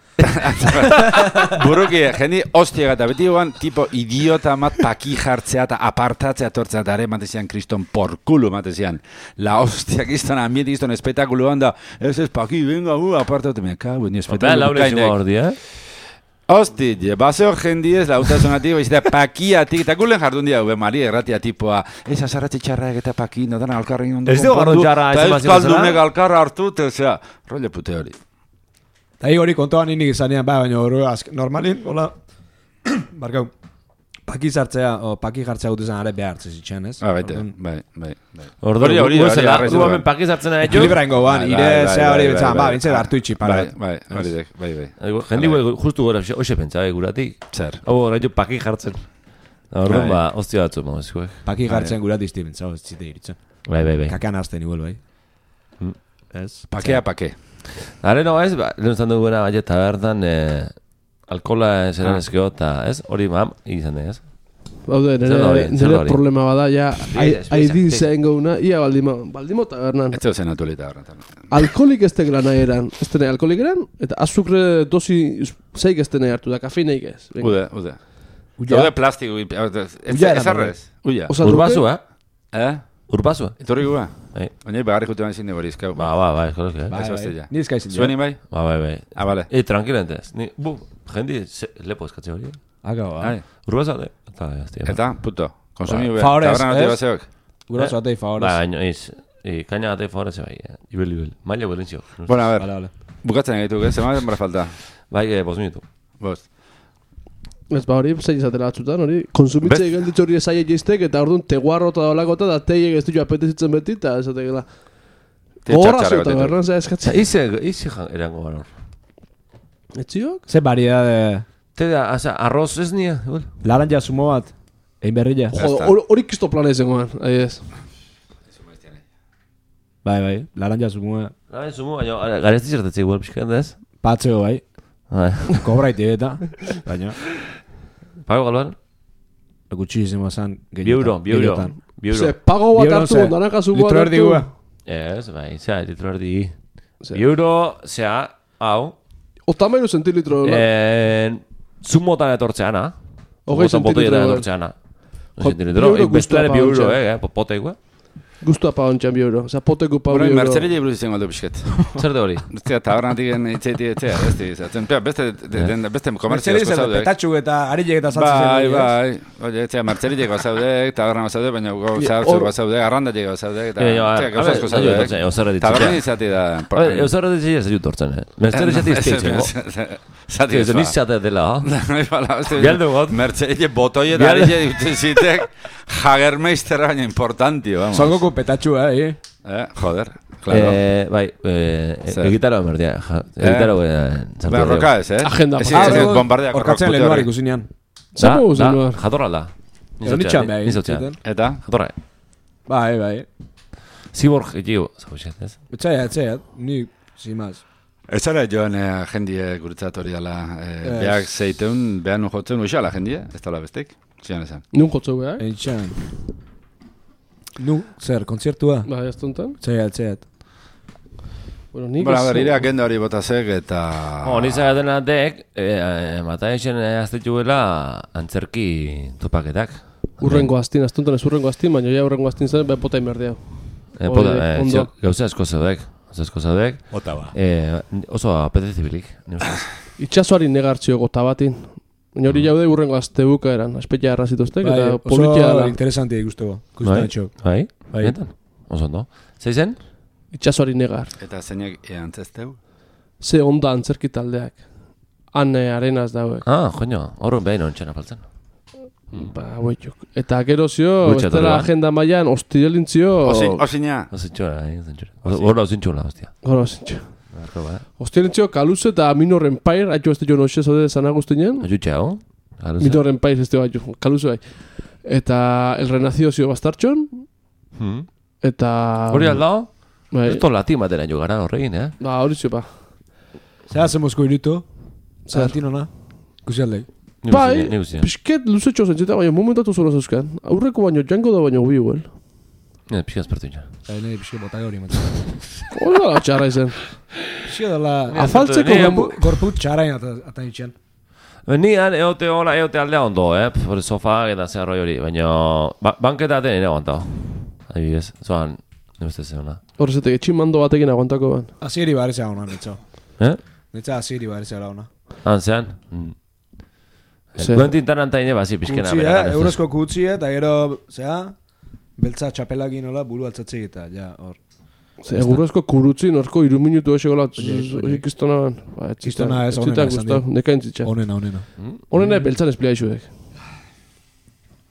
Buruki, jendi hostiak eta beti guan, tipo idiota mat paki jartzea eta apartatzea tortzea eta ere matezian kriston porkulu matezian. La hostiak izton ambiente izton espektakulu handa, ez ez paki, venga, uh, apartate, me cago, ni Bea, espektakulu laure izango ordi, eh? Hosti, baseo jendi ez lautasunatik, baizita pakiatik, eta gulen jardun dia, ube, Maria erratia tipoa, ez azarratxe txarrak eta paki, no dana alkarrein ondo Ez dugu garrun txarra, ez eta emazio euskaldunek bezala? alkarra hartu, eta, osea, rolle pute hori. Eta hi hori kontoan inik izanean, ba, baina hori azk, normalin, hola, barkau, paki zartzea, o paki jartzea gute zen are behartzez itxen, ez? Ah, baite, Orduan, bai, bai, bai. Ordo, Hori, hori, hori, zela, arraizu gu da. hemen pakizartzen ari jo. Ekilibra ingo ban, Bai, ire, bai, zea bai, hori bai, betzan, bai, ba, bai. bintze hartu itxi para. Bai, bai, hori dek, bai, bai. Jendi gue justu gora, hoxe pentsa, guratik. Zer. Hau, orain jo paki jartzen. Orduan, Bai. ba, ostia batzu, mazkoek. Paki jartzen gura dizti bintza, ez zite iritzen. Bai, bai, bai. Kakean azten igual, bai. Mm. Ez? Pakea, pake. Hare no, ez, ba, lehen zan duguna, baina tabernan, eh, alkola zeran ezkeo, eta ez, hori mam, izan ez. Haude, Zer da hori, nire, zer da nire hori? problema bada, ja, Explica, explica, haidin explica. zen gauna, ia baldimo, baldimo tabernan. Ez dut zen atuelita horretan. Alkoholik ez tegela nahi eran, ez tenei alkoholik eran, eta azukre dosi zeik ez tenei hartu, da kafeineik ez. Venga. Ude, ude. Uia. Ude plastiko. Ez Uia era arrez. Uia. Osa, Urbazu, eh? Eh? Urbazu, eh? Etorri gua? Bai. Oinai bagarrik utean izin de borizkau. Ba, ba, ba, eskorak, eh? Bai. hostia. Ni eskaizin. Zueni bai? Ba, bai, bai. Ah, vale. E, tranquilentez. Ni, bu, jendi, se, lepo eskatze hori. Aga, ba. Ai. Urbazu, eh? Eta, jaztia. Eta, puto. Konsumi Ba, ube. favorez, Tabernan ati ez? baseok. Guraso atei favorez. Ba, baina, iz, i, kaina gate favorez, bai, eh? Ibel, ibel. Maila belintzio. Bueno, a ver. Vale, vale. Bukatzen egituko, ez? Zema denbora falta. Bai, eh, bos minutu. Bost. Ez ba hori, zei izatela batzutan, hori, konsumitzei Best- gelditzu hori esaiek jiztek, eta orduan teguarro eta dolakota, da teiek ez ditu apetezitzen beti, eta ez ategela. Te Gogorra txartxarra zuta, betetu. berran, zera Eta, eskatzen. ize, ize jan, erango gara. Etziok? Ze variedade. Te da, asa, arroz ez nia, igual. Laranja zumo bat. Egin berrila. Ja. Jodo, está. hori- hori kisto plana izangoan, ahi ez. Bai, bai. Laranja zumo. Bai, zumo, baina, garezti zertetze igual, pixkan da ez? Patzeo, bai. Bai. Kobraiti eta. Baina. Pago galban? Gutxísimo zan. Bi euro, bi euro. Bi euro. Ze, pago bat Bi euro, hartu, ze, naranja zubo bat litro erdi hartu. gua. Ez, bai, zera, litro erdi. Ze. Bi euro, zera, hau, Otamairu zentilitro, la. en, zumotan etortzeana. Hogei Zumotan botoietan zentilitro, etortzeana. Jo, Zentilitro, bi euro bestelare bi gustua euro, pagontxa. eh, eh, poteikoa. Guztua pagontxan bi euro. Osa, poteko pau bi Bueno, euro. mertzerile buruz izango aldo pixket. Zer de hori? Eztia, tabernatik itzeiti etzea, ez di, zaten, pea, beste, de- de- beste komertzio asko zaude. petatxu eta arilek eta saltzen Bai, zen. bai, oye, etzea, mertzerilek bazaude, taberna bazaude, baina gau Ja, zahartzuk hor- bazaude, arrandaiek bazaude, eta, Eh, jo, a- etzea, a gauza ver, asko nahi dut zaude. eusera Taberna ditzitzea. izati da. A ver, euser ditzea ez dut hortzen, eh? Mertzer esati izteitzen, go. Zati Ez ez nizate dela, ha? ba. Bialdu got. Mertzerile botoie eta Bialdu- arile dute zitek, Jagermeisterra baina importantio, vamos. Zongoko petatxua, eh? Eh, joder, claro. Eh, bai, eh, Zer? egitaro emerdia. Egitaro, eh, sartu Ba, dugu. roka ez, eh? Agenda, Ez, pa. ez, ez, bombardeak Orkatzen rock lehen puteorri. ikusinean. Zer Da, mogu da, zen duar? jatorra da. Ero nitxan behar. Nizotxean. Eta? Jatorra. Bai, bai. Ziborg egiu, zabuxet, ez? Etxaiat, etxaiat. Ni, sin más. Ez zara joan eh, jendie guretzat hori dala, eh, Ez. behak zeiteun, behan nu jotzen uixala jendie, ez dala bestek, zian esan. Nun jotzeu beha, eh? Eitxan. Nu, zer, kontzertua? Ba, ez tontan. Etxaiat, etxaiat. Bueno, nik Bara, ez- ber, ire agenda hori botazek eta... Oh, nizagaten atek, eh, mataixen aztetuela antzerki topaketak. Urrengo astin, astuntan ez urrengo astin, baina ja urrengo astin zen, beha pota inberdea. Eh, Hori, pota, eh, ondo. zio, gauza asko zaudek. Gauza asko zaudek. Ota ba. Eh, oso apetezibilik, ni ustez. Itxasoari negartzio gota batin. Baina hori jaude urrengo azte buka eran, aspetia errazituztek, Bai, eta oso politia da. interesantia ikusteko. Bai? Ikusten etxok. Bai? Bai. Benetan? Oso ondo. Zeizen? Itxasoari negar. Eta zeinek eantzesteu? Ze onda antzerki taldeak. Han eh, arenaz dauek. Ah, joño, horren behin ontsen apaltzen. Ba, hauetuk. Eta gero zio, Gutxi bestela etorri, ba. agenda mailan, ostialintzio... Osin, osina. Ozintxura, eh, ozintxura. Horra ozintxura, hostia. Gora, zintxo. Barko, ba. Ostialintzio kaluze eta Minoren Pair, haitu ez jo noxe zode San Agustinen. Ajutxe, hau? Galuze? Minoren Pair ez haitu, kaluze bai. Eta El Renacido zio bastartxon, Hmm. eta... Hori aldao? Bai. Esto latin batera jo gara horregin, eh? Ba, hori zio, ba. Zer hacemozko iruto? Zer? Sarantinona? Ikusi aldei. Ni Bai, guzti, ni guzti. pixket luzetxo zentzita, baina momentatu zora zeuzkan. Aurreko baino jango da baino bi huel. Ne, pixka ezpertu ina. Eta nahi pixka botaga hori matzen. Hori da txarra izen. Pixka dela... Afaltzeko Ni- gorpu... Gorput txarain ata, ata itxan. Nian, eote hola, eote aldea ondo, eh? Hori sofa eta zer roi hori, baina... Ba, banketa aten ere aguantao. Adibidez, zoan, ne beste zeuna. Horrezetek, etximando batekin aguantako ban. Asieri barizea hona, netza. Eh? Netza asieri barizea hona. Han zean? Mm. Zer? Quentin Tarantino bazi pixkena. Kutzia, beragan, ez eurozko kutzia, eta gero, zea, beltza txapelakin hola, buru altzatzei eta, ja, hor. Ze, egurrezko kurutzi, norko iru minutu ese gola, Oiek, oiek. hori kistona ban. Ba, ez Kistona ez, zitan onena esan gustau, dio. nekain zitzan. Onena, onena. Mm. Honena beltzan esplia izuek.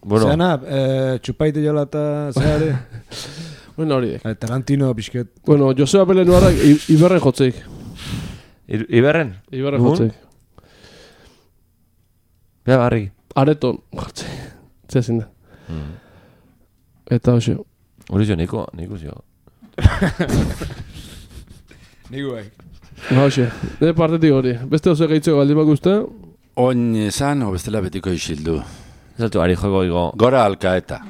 Bueno, Zeana, eh, txupaite jola eta zeare, Bueno, hori dek. eh, Tarantino pixket. Bueno, Joseba Belen nuarrak Iberren jotzeik. Ir- Iberren? Iberren Nun? jotzeik. Bea barri. Areton jotzeik. Zea zin da. Mm. Eta hoxe. Hori zo, niko, niko zio. Nigu bai. Ba hoxe. Nire partetik hori. Beste oso gehitzeko baldin bak uste. Oin esan, o bestela betiko isildu. Zaltu, ari jogo igo. Gora alkaeta.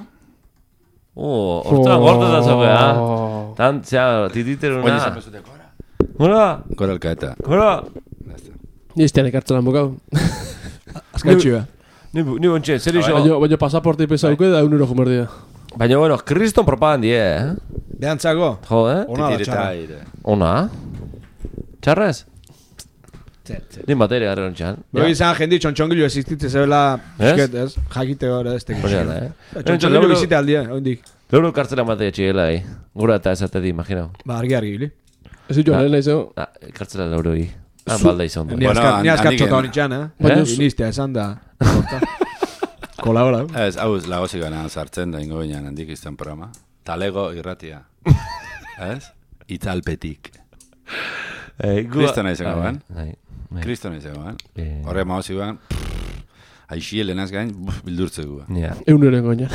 Uh, ostras, gordo da zogea. Oh. Tan, zea, tititeruna. Oye, esan bezute, gora. Gora, Gora alkaeta. gora. Ni estean ekartzen lan bokau. Azkaitxi ba. Ni, ni bontxe, zer iso. Baina, baina pasaporte pesauke da un euro jomerdia. Baina, bueno, kriston propagandie, eh? Behantzako? Jo, eh? Ona da Titireta txarra. aire. Ona? Txarrez? Zer, zer. Ni materia garren txan. Bero izan jendi txontxongilu existitze zebela, Ez? esket, ez? Jakite gara ez tekik. Hori da, eh? Txontxongilu bizite aldia, oindik. Leuro kartzela matea txigela, eh? Gura eta esate di, imaginau. Ba, argi argi, bili. Ez ditu lehen izan. Ah, kartzela leuro i. Ah, balda izan du. Ni Bueno, azkat, ni han- azkat handik txota en- honi txan, eh? Baina- Inistea esan da. Kolabora. Ez, hau ez lagozik gana sartzen da ingo binean handik izan programa. Talego irratia. Ez? Itzalpetik. Eh, gu- Kristo nahi zengo, Ah, ben? Bai, bai. Kristo nahi zegoen. Eh, Horre maozik guen, aixi helenaz gain, buf, bildurtzeko. Ja. Eun eren goina.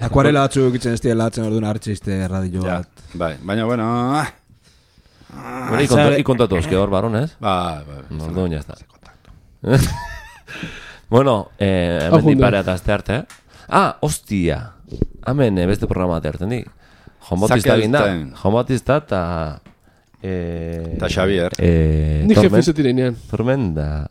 Akuarela batzuk itzen ez dira latzen orduan hartzizte radio Ja, bat. bai, baina bueno, ah, Bueno, y contra- y contatu eske hor barones. bai, bai. Orduan ya está. Bueno, eh, Ah, hemen junde. dipare eta azte arte. Ah, hostia. Hemen eh, beste programa bat erten di. Jon Bautista Zakel egin da. ten. Jon Bautista eta... Eh, Ta Xavier. Eh, Ni Torment- jefizetin einean. Tormenta.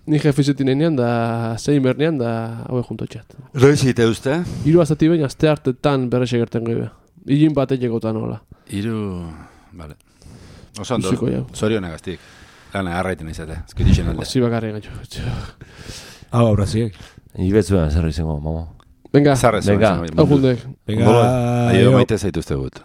Ni jefizetin einean da zein bernean da haue junto txat. Roizite uste? Hiru azati behin azte hartetan berrexe gerten gebe. Ilin bat egekotan hola. Iru... Vale. Oso ondo, Ziko jau. zorionak aztik. Lana arraiten izate, ezkirixen alde. Asi bakarri gaitxo. Hau, abraziek. Ibetzuan zer izango, mamo. Venga, Zarrez. Venga. hau jundek. Venga, Aio aio. maite zaituzte gut.